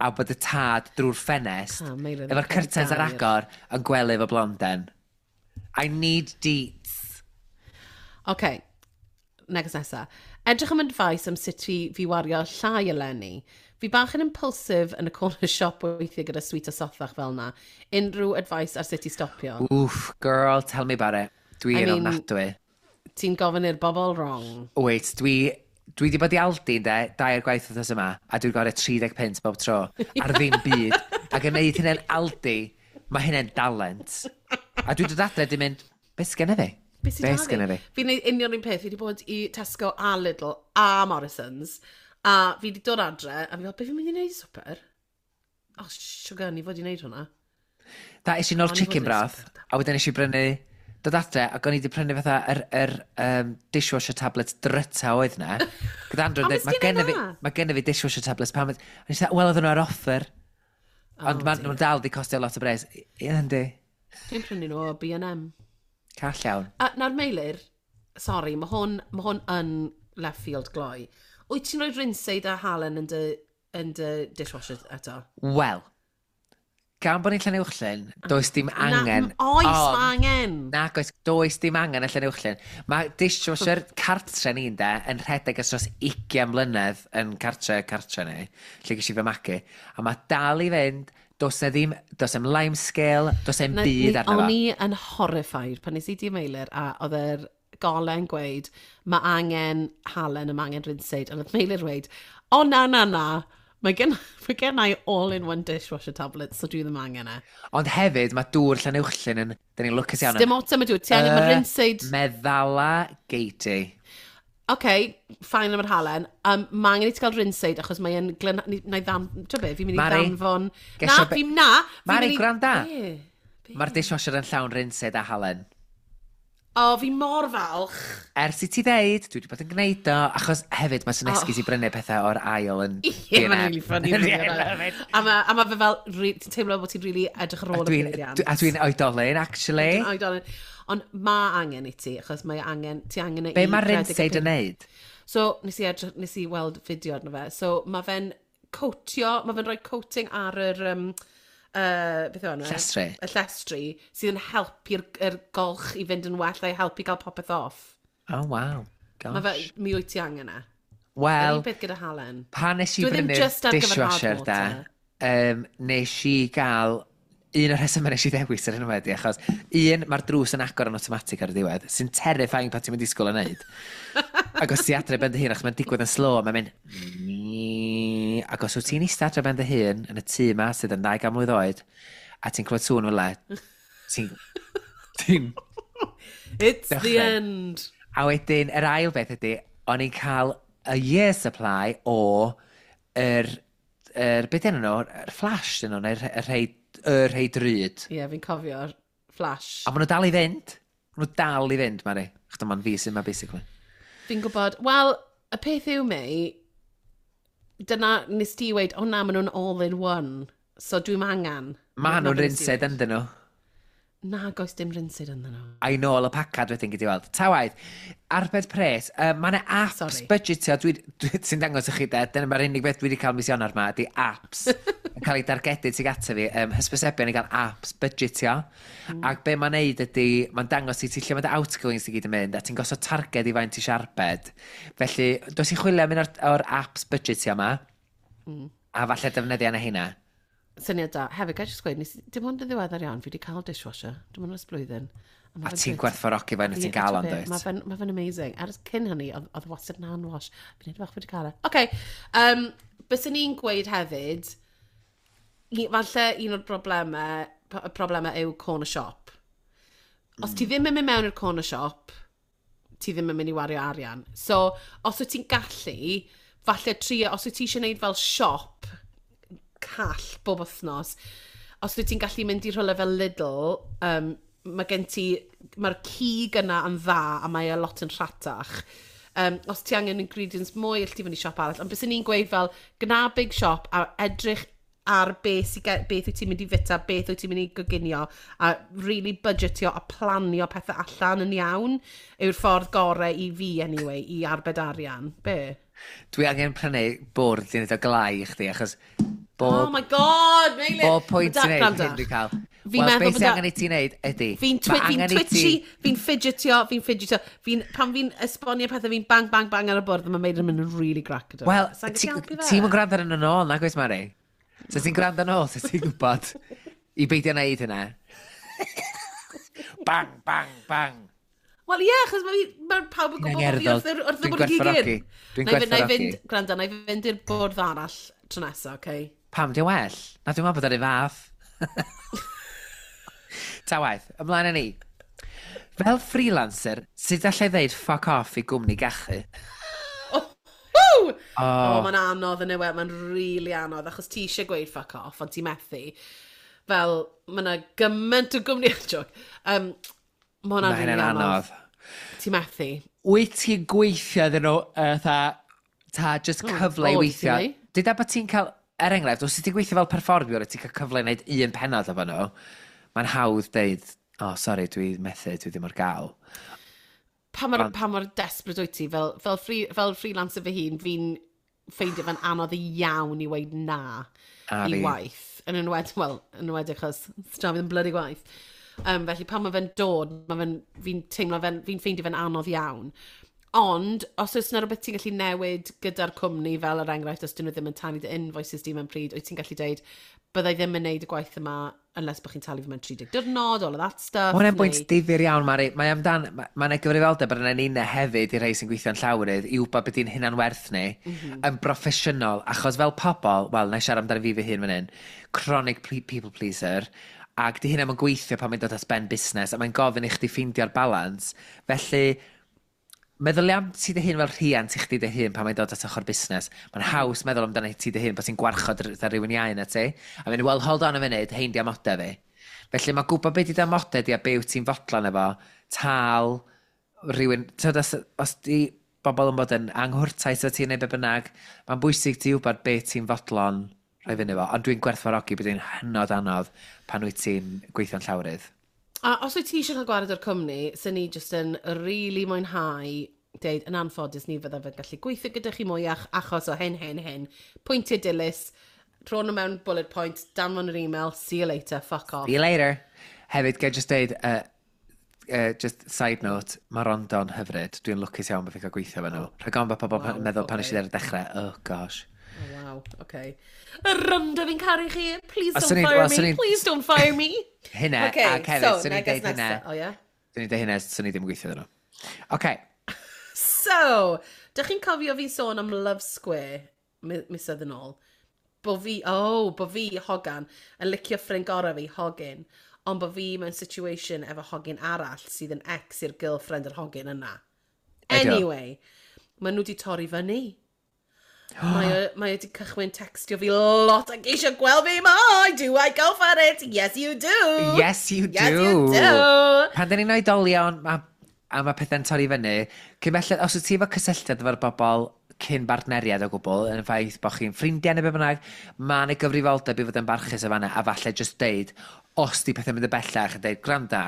a bod y tad drwy'r ffenest Ah, Meilir, efo'r mae'n curtains ar gair. agor yn gwely efo blonden. I need deets. OK, neges nesa. Edrych am advice am sut fi wario llai eleni. Fi bach yn impulsive yn y corner shop weithiau gyda sweet a sothach fel na. Unrhyw advice ar sut i stopio? Oof, girl, tell me about it. Dwi I yn mean- ofnadwy. Ti'n gofyn i'r bobl wrong. Wait, dwi di bod i Aldi, de, dair gwaith wythnos yma, a dwi'n gorau 30 pence bob tro, ar ddim byd. Ac yn neud hynny'n Aldi, mae hynny'n dalent. A dwi'n dod adre, dwi'n mynd, beth sgynna fi? Be sy'n Be da sgynna fi? Fi'n neud union un peth. Fi wedi bod i Tesco a Lidl a Morrisons. A fi wedi dod adre, a fi fel, be fi'n mynd i wneud i swper? Oh, sugar, ni fod i wneud hwnna. Da, es i nôl O'n i chicken fod yn broth, swper, a wedyn es i brynu, dod adre, ac o'n i wedi prynu fatha yr dishwasher tablets dryta oedd na. Gyda Andrew A yn nes dweud, mae di genna neud fi, na?" mae genna fi dishwasher tablets pam... A nes i dweud, wel, oedden nhw ar offer. Ond maen nhw'n dal di costio lot o bres. Ie, yndi. Dwi'n prynu nhw o B&M. Call iawn. A nawr Meilir, sorry, mae hwn yn left field gloi. Wyt ti'n rhoi rinseid a halen yn dy dishwasher eto? Wel, gan bod ni'n Llanuwchllyn, does dim angen. Na, oes, Ond- mae angen. Nac oes, does dim angen y Llanuwchllyn. Mae dishwasher cartre ni'n de, yn rhedeg ers dros 20 mlynedd yn cartre ni, lle ges i fy magu. A mae dal i fynd, does na ddim, does 'im lime scale, does 'im byd arno O'n fo. i yn horrified pan nes i di Meilir a oedd yr gole'n gweud mae angen halen a mae angen rinseid. A oedd Meilir weud, o na, na, na, mae gen i all-in-one dishwasher tablets, so dwi ddim angen e. Ond hefyd, mae dŵr Llanuwchllyn yn, dyn ni'n lwcus iawn. Dim ots am y dŵr, ti angen, mae rinseid. Meddala geiti. OK, fine am yr halen. Mae angen i ti gael rinseid achos mae'n Na i ddam... Ti'n be, fi'n mynd i Mari, ddanfon. Na, gesio fi'n na. Fi'n Mari, mynd i gwranda. Be? Be? Mae'r dishwasher yn llawn rinseid a halen. O, fi mor falch. Ers i ti ddeud, dwi wedi bod yn gwneud o, achos hefyd mae sy'n esgus i brynu pethau o'r ail yn Ie, mae'n really funny. Yeah, really, love it. A ma fe fel, ti'n teimlo bod ti'n really edrych ar A ôl y dwi'n peiriant. a dwi'n oedolyn, actually. Dwi'n oedolyn. Ond mae angen i ti, achos mae angen, ti angen e Be i mae rhedeg y rinseid yn neud? So, nes i weld fideo arno fe. So, mae fe'n coatio, mae fe'n rhoi coating ar yr, beth yw enw e? Llestri. Y llestri, sydd yn helpu'r yr golch i fynd yn well a i helpu gael popeth off. Oh, wow. Mae fe, Gosh. mi wyt ti angen e. Wel, Yr un peth gyda halen. pan nes i Dwi ddim brynu'r jyst ar gyfer hard dishwasher da, water. nes i gael un o'r rhesymau nes i ddewis ar hyn o wedi, achos un, mae'r drws yn agor yn automatic ar y diwedd, sy'n terrifying pan ti'n mynd i disgwyl yn neud. Ac os ti adre ben dy hun, achos mae'n digwydd yn slow, mae'n mynd... Ac os wyt ti'n eistedd adre ben dy hun yn y tŷ ma sydd yn 200 mlwydd oed, a ti'n clywed sŵn fel 'na, ti'n It's the Dechrau. end. A wedyn, yr ail beth ydy, o'n i'n cael a year supply o yr beth enw nhw, yr flash dyn nhw, neu'r y rhei drud. Ie, yeah, fi'n cofio'r flash. A maen nhw dal i fynd. Maen nhw dal i fynd, Mari. Chos dyma'n fi sy'n ma, basically. Fi'n gwybod, wel, y peth yw mei, dyna nes ti weud, o na, maen nhw'n all in one. So dwi'n angen. Ma Na nhw'n be nes ti rinseid weud. ynddyn nhw. Na, goes dim rinseid ynddyn nhw. A i nôl y pacad wedyn gyd i weld. Ta waith, arbed pres, mae yna apps Sorry. budgetio, dwi, sy'n dangos i chi de, dyna mae'r unig beth dwi wedi cael mis Ionawr ma, ydy apps yn yn cael ei dargedu tuag ato fi, hysbysebion i gael apps budgetio. Ac be mae'n neud ydy, mae'n dangos i ti lle mae dy outgoings i gyd yn mynd, a ti'n gosod targed i faint ti siarbed. Felly, dos i chwilio am un o'r apps budgetio yma, a falle defnyddio yna heina. Syniad da. Hefyd, gael jyst gweud, nes, dim ond yn ddiweddar iawn, fi wedi cael dishwasher. Dim ond ers blwyddyn. A fe'n ti'n gwerthfawrogi faint ti'n gael o'n dweud. Mae fe'n amazing. Ers cyn hynny, oedd wastad yn hand wash. Fi'n edrych wedi cael e. Oce, byswn ni'n gweud hefyd, falle un o'r problemau, y problemau yw corner shop. Os ti ddim yn mynd mewn i'r corner shop, ti ddim yn mynd i wario arian. So, os wyt ti'n gallu, falle trio, os wyt ti eisiau gwneud fel siop call bob wythnos, os wyt ti'n gallu mynd i rhywle fel Lidl, mae gen ti, mae'r cig yna yn dda a mae e lot yn rhatach. Os ti angen ingredients mwy, all ti fynd i siop arall. Ond byswn ni'n gweud fel, gna big shop a edrych ar beth, beth wyt ti'n mynd i fita, beth wyt ti'n mynd i goginio, a really budgetio a planio pethau allan yn iawn yw'r ffordd gorau i fi, anyway, i arbed arian. Be? Dwi angen prynu bwrdd i wneud o glai i chdi, achos bob, Oh my God, Meilir! Bob pwynt ti'n neud, hyn dwi'n cael. Fi'n meddwl beth sy'n angen i ti wneud ydy... Fi'n twitchy, fi'n fidgetio, fi'n fidgetio. Pan fi'n esbonio pethau, fi'n bang, bang, bang ar y bwrdd, a mae Meilir yn mynd yn really grac. Wel, ti'n mynd gwrando ar yn ôl, nag oes, Mari? So ti'n gwrando yn ôl, so ti'n gwybod i beidio wneud hynna. Bang, bang, bang. Wel ie, yeah, achos mae ma pawb yn gwybod bod fi wrth y bwrdd gigyn. Dwi'n gwerthfawrogi. Gwrando, na i fynd i'r bwrdd arall tro nesaf, oce? Okay? Pam, di'n well? Na, dwi'n meddwl bod ar ei fath. Ta waith, ymlaen â ni. Fel freelancer, sut allai ddeud fuck off i gwmni gachu? Oh, oh. Oh, mae'n anodd yn yw e, mae'n really anodd, achos ti eisiau gweud fuck off, ond ti methu. Fel, mae yna gymaint o gwmni, joke. Mae hwnna'n really anodd. Ti methu. Wyt ti'n gweithio iddyn nhw, ta, just cyfle i weithio? Dyda bod ti'n cael, er enghraifft, os ti'n gweithio fel perfformiwr a ti'n cael cyfle i wneud un pennod efo nhw, mae'n hawdd deud, oh, sorry, dwi methu, dwi ddim ar gael. Pa mor, pa mor desperate wyt ti, fel freelancer fy hun, fi'n ffeindio fe'n anodd iawn i weud na i waith. Yn enwedig, wel, yn enwedig achos stra fi ddim bloody gwaith. Felly pan mae fe'n dod, mae fe'n, fi'n teimlo fe'n, fi'n ffeindio fe'n anodd iawn. Ond, os oes yna rhywbeth ti'n gallu newid gyda'r cwmni, fel er enghraifft, os dyn nhw ddim yn talu dy invoices di mewn pryd, wyt ti'n gallu deud, byddai ddim yn neud y gwaith yma unless bod chi'n talu fi mewn 30 diwrnod, all of that stuff. Mae hwnna'n bwynt difyr iawn, Mari. Mae amdan, mae yna gyfrifoldeb ar yna ninne hefyd i rhai sy'n gweithio'n llawrydd i wybod beth i'n hunan werth ni yn broffesiynol, achos fel pobl, wel, na i siarad amdano fi fy hun fan hyn, chronic people pleaser, ac di hynna yn gweithio pan mae'n dod at ben busnes, a mae'n gofyn i chdi ffeindio'r balans. Felly, meddylia am ti dy hun fel rhiant i chdi dy hun pan mae'n dod at ochr busnes. Mae'n haws meddwl amdano ti dy hun bod ti'n gwarchod rhywun iau na ti. A mynd, well, hold on a funud, hein di amodau fi. Felly mae gwybod beth di dy amodau di a be wyt ti'n fodlon efo, tal, rhywun, tyd, os di bobl yn bod yn anghwrtais o ti neu be bynnag, mae'n bwysig ti wybod be ti'n fodlon rhoi fyny efo. Ond dwi'n gwerthfawrogi bod hi'n hynod anodd pan wyt ti'n gweithio'n llawrydd. A os wyt ti eisiau cael gwared o'r cwmni, sy'n ni jyst yn really mwynhau deud, yn anffodus ni fyddaf yn gallu gweithio gyda chi mwyach achos o hyn, hyn, hyn. Pwyntiau dilys, rho nhw mewn bullet point, danfon yr email, see you later, fuck off. See you later. Hefyd, ga i just deud, just side note, mae Rondo'n hyfryd. Dwi'n lwcus iawn bod fi'n cael gweithio efo nhw. Rhaid gofn bod pobl yn meddwl pan nes i ar y dechrau, oh gosh. Oh, wow, okay. Rondo, fi'n caru chi. Please don't fire me. Please don't fire me. Hynna, okay, ac hefyd, so, swn i'n deud hynna. Oh, yeah? Swn i'n deud hynna, swn i ddim yn gweithio iddyn nhw. Okay. So, dych chi'n cofio fi sôn am Love Square misoedd yn ôl? Bo fi, hogan, yn licio ffrind gorau fi, hogyn, ond bo fi mewn situation efo hogyn arall sydd yn ex i'r girlfriend yr hogyn yna. Anyway, maen nhw wedi torri fyny. Mae wedi cychwyn textio fi lot ac eisiau gweld fi mwy. Do I go for it? Yes, you do. Yes, you do. Yes, you do. Pan dyn ni'n oedolion a mae pethau'n torri fyny, cyn belled, os wyt ti efo cysylltiad efo'r bobl cyn bartneriad o gwbl, yn y ffaith bod chi'n ffrindiau neu be bynnag, mae yna gyfrifoldeb i fod yn barchus o fanna, a falle just deud, os di pethau'n mynd y bellach, a deud, gwranda,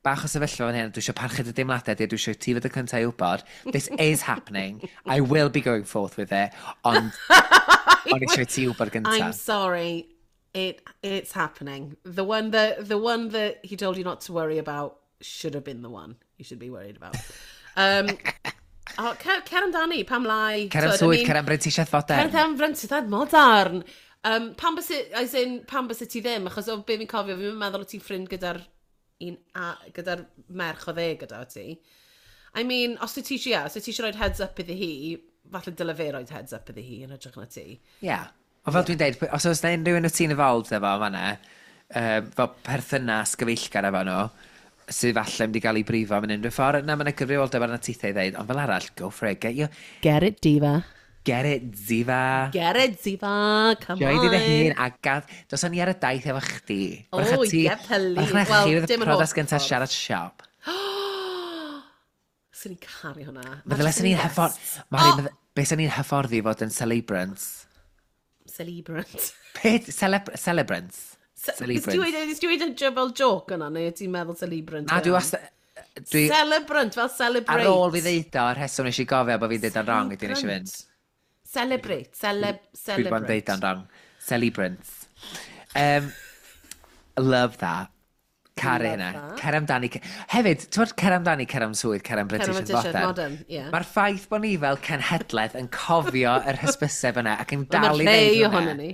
bach o sefyllfa fan hyn, dwi eisiau parchu dy deimladau di, dwi eisiau ti fod y cyntaf i wybod, this is happening, I will be going forth with it, ond O'n eisiau ti wybod gyntaf. I'm sorry. It's happening. The one that he told you not to worry about should have been the one you should be worried about. Oh, cer amdani, pam lai? Cer am swydd, cer am brentisiaeth fodern. Cer am brentisiaeth modern. Pam bys, as in, pam bys ti ddim? Achos o be fi'n cofio, fi'n meddwl o ti'n ffrind gyda'r un, gyda'r merch o dde gyda ti. I mean, os ti eisiau, yeah, os ti eisiau rhoi heads up iddi hi, falle dyle fe rhoi heads up iddi hi yn hytrach na ti. Ie. Yeah. Ond fel dwi'n deud, os oes na unrhyw un o ti'n involved efo fan'na, fel perthynas gyfeillgar efo nhw, sydd falle mynd i gael ei brifo mewn unrhyw ffordd, na, mae'n gyfrifoldeb arna tithau i ddeud, ond fel arall, go for it, Get it, diva. Get it, diva. Get it, diva. Come Joy on. di dy hun, a gad, dos ni ar y daith efo chdi. Oh, ie, please. Wrach na Wel, chi fydd y dim yr priodas holl gyntaf ffordd. siarad siop. Swn i'n caru hwnna. Meddwl sy'n ni'n hyffordd. Mari, oh! Be sy'n ni'n hyfforddi fod yn celebrants? Celebrant. Beth? Celebrants? Celebrant. Nes ti weud y fel joke yna, neu ti'n meddwl celebrant? Na, dwi wastad. Celebrant, fel celebrate. Ar ôl fi ddeud o, yr rheswm nes i gofio bod fi'n deud o'n wrong, ydy nes i fynd. Celebrate, Dwi wedi bod yn celebrate. deud o'n wrong. Celebrants. Love that. Caru Love hynna. that. Cer amdani. Hefyd, ti'n bod cer amdani, cer am swydd, cer am Cer am British brentisiaeth modern. modern, ie. Mae'r ffaith bod ni fel cenhedlaeth yn cofio yr hysbyseb yna ac yn Wel, dal i Mae ddeud rhai hwnna. ohono ni.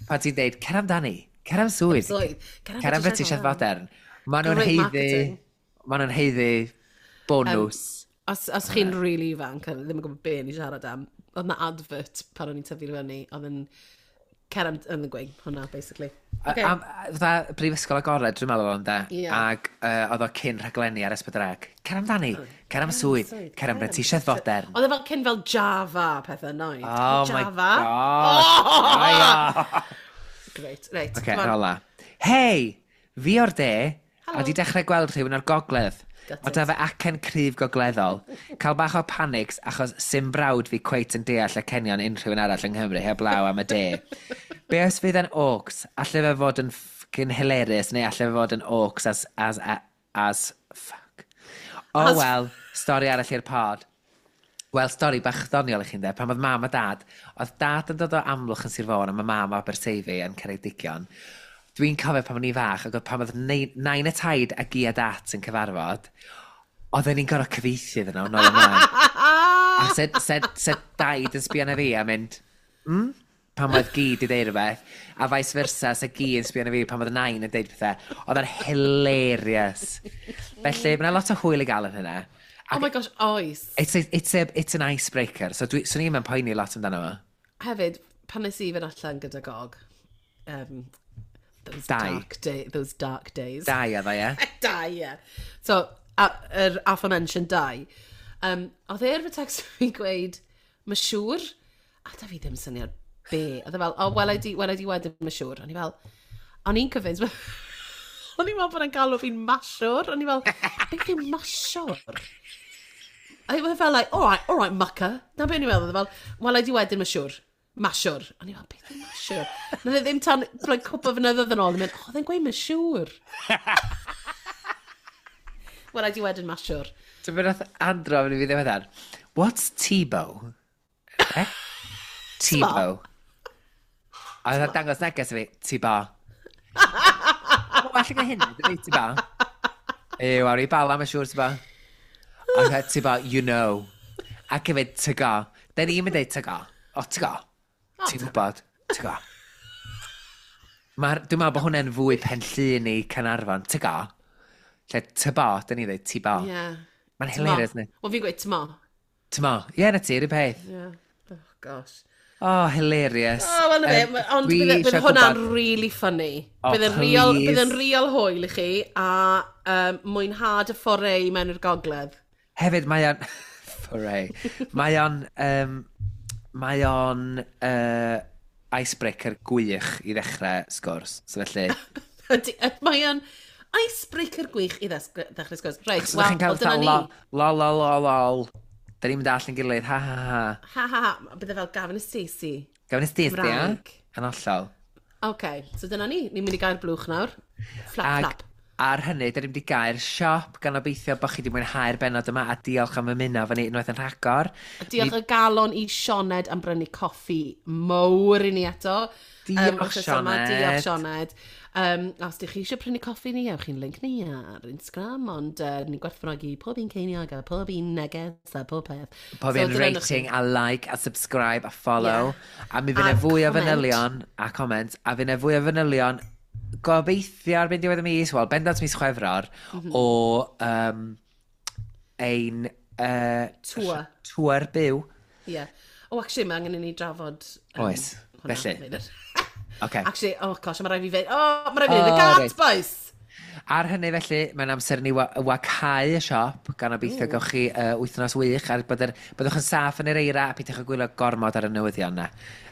Pan ti'n deud, cer amdani, cer am swydd, Swydd. cer am brentisiaeth modern. Maen nhw'n Great haeddu, marketing. maen nhw'n haeddu bonws. Os chi'n really ifanc, a ddim yn gwybod be ni siarad am, oedd na advert pan o'n i'n tyfu fyny, oedd yn cer am, yn y gweud hwnna, basically. Okay. Am, fatha Brifysgol Agored, dwi'n meddwl o'n de. Ie. Ac oedd o cyn rhaglenni ar S4C. Cer amdani, cer am swydd, cer am brentisiaeth fodern. Oedd e fel cyn fel Java pethau, noid. Oh my Java. God. Oh. Great, reit. Oce, come on. rola. Hei, fi o'r de, a Helo. di dechrau gweld rhywun o'r gogledd. Gutted. O da fe acen cryf gogleddol. Cael bach o panics achos sim brawd fi cweit yn deall acenion unrhyw un arall yng Nghymru heblaw am y de. Be os fydd yn oaks? Alle fe fod yn fucking hilarious neu alle fe fod yn oaks as fuck. Oh well, stori arall i'r pod. Wel, stori bach ddoniol i chi'n de, pan oedd mam a dad, oedd dad yn dod o Amlwch yn Sir Fôn a mae mam o Aberteifi yn Ceredigion. Dwi'n cofio pan o'n i fach, ac oedd pan oedd nain a taid a gi a dat yn cyfarfod, oedden ni'n gorfod cyfieithu iddyn nhw, nôl ymlaen. A sed daid yn sbio na fi a mynd, Pan oedd gi di deud rhywbeth, a vice versa, se gi yn sbio na fi pan oedd nain yn deud pethau. Oedd o'n hilarious. Felly, mae yna lot o hwyl i gael yn hynna. Oh my gosh, oes. It's an icebreaker, so swn i'n poeni lot amdano fo. Hefyd, pan nes i fynd allan gyda Gog, those, Dau. dark day, those dark days. Dau oedd o, ie? Dau, ie. So, yr aforementioned dau. Oedd e ar fy text fi'n gweud, mae siŵr, a da fi ddim syniad be. Oedd e fel, oh, wel i di wedyn, mae siŵr. O'n i fel, o'n i'n convinced, o'n i'n meddwl bod e'n galw fi'n masiwr. O'n i fel, beth yw masiwr? A oedd e fel, like, all right, mucker. Na be o'n i'n meddwl, oedd e fel, wel i di wedyn, mae siŵr. Masiwr. O'n i fel, beth yw masiwr? Nath e ddim tan, like, cwpl o flynyddoedd yn ôl, yn mynd, oh, oedd e'n gweud masiwr. Wel, i di wedyn masiwr. Ti'n mynd nath Andro yn i fi ddiweddar. What's Tebow? Eh? Tebow. A oedd o'n dangos neges i fi, Tebow. Well gyda hynny, dydy Tebow. Ew, awn i bala, mae'n siŵr, Tebow. A oedd Tebow, you know. Ac hefyd, tygo. Da ni'n mynd deud tygo. O, tygo. Ti'n gwybod, tygo. Dwi'n meddwl bod hwnna'n fwy penllun i Caernarfon. Tygo. Lle tybo, da ni'n dweud tybo. Yeah. Mae'n hilarious, ni. Wel, fi'n gweud tymo. Tymo. Ie, na ti, yr un peth. Yeah. Oh, gosh. Oh, hilarious. Oh, wel, na fe, ond dwi bydd isio hwnna'n gwbod- really funny. Oh, Bydd yn real, please. bydd yn real hwyl i chi a mwynhad y foray mewn i'r gogledd. Hefyd, mae o'n... Foray. Mae o'n... Mae o'n icebreaker gwych i ddechrau sgwrs. So felly... Mae o'n icebreaker gwych i ddechrau sgwrs. Reit, So wel, chi'n cael wel, dyna fatha ni. lol, lol, lol, lol, lol. Da ni'n mynd allan gilydd, ha, ha, ha. Ha, ha, ha. Bydde fel Gavin a Stacey. Gavin a Stacey, ia? Cymraeg. Yn hollol. OK, so dyna ni. Ni'n mynd i gael blwch nawr. Flap, Ag flap. Ar hynny, dyn ni'n wedi gael siop, gan obeithio bod chi wedi mwynhau'r benod yma, a diolch am ymuno efo ni unwaith yn rhagor. Diolch o galon i Sioned am brynu coffi mowr i ni eto. Diolch, Sioned. Diolch, Sioned. Os ydych chi eisiau prynu coffi ni, ewch chi'n link ni ar Instagram, ond ni'n gwerthfawrogi pob un ceiniog a pob un neges a pob peth. Pob un rating a like a subscribe a follow. Yeah. A mi fydd yna fwy o fanylion a comment, a fydd yna fwy o fanylion gobeithio ar diwedd y mis, wel, bendant mis Chwefror, o ein tour. Tour byw. Ie. Yeah. Oh, actually, mae angen i ni drafod Oes, felly. Okay. Actually, oh gosh, mae rhaid fi fynd. Oh, mae rhaid fi fynd. Y gat, boys! Ar hynny felly, mae'n amser ni wacau y siop, gan obeithio gewch chi wythnos wych, a byddwch yn saff yn yr eira, a peidiwch â gwylio gormod ar y newyddion na.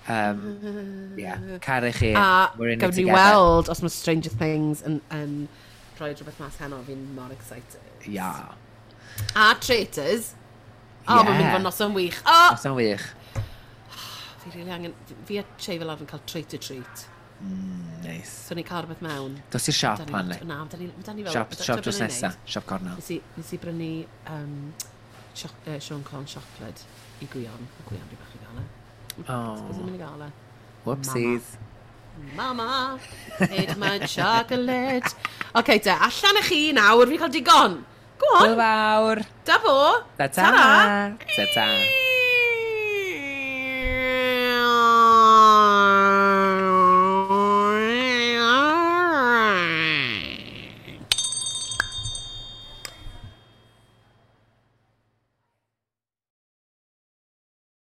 Yeah, caru chi. A gawn ni weld os mae Stranger Things yn rhoi rhywbeth mas heno, fi'n mor excited. Ia. A Traitors. Oh, yeah. Mae'n mynd fod noson wych. Oh! Noson wych. Fi really angen. Fi a Che fel arfer yn cael traitor treat. Nice. So ni'n cael rhywbeth mewn. Dos i'r siop man, le. Na, da ni fel Siop, siop drws nesa, siop cornel. Nes i brynu Siôn Corn chocolate i Gwion. A Gwion rhi bach i gael e. Oh. Beth yw'n mynd i gael e? Whoopsies. Mama, ate my chocolate. OK, te, allan â chi nawr, fi'n cael digon. Go on. Hwyl fawr. Da fo. Ta-ta. Ta-ta.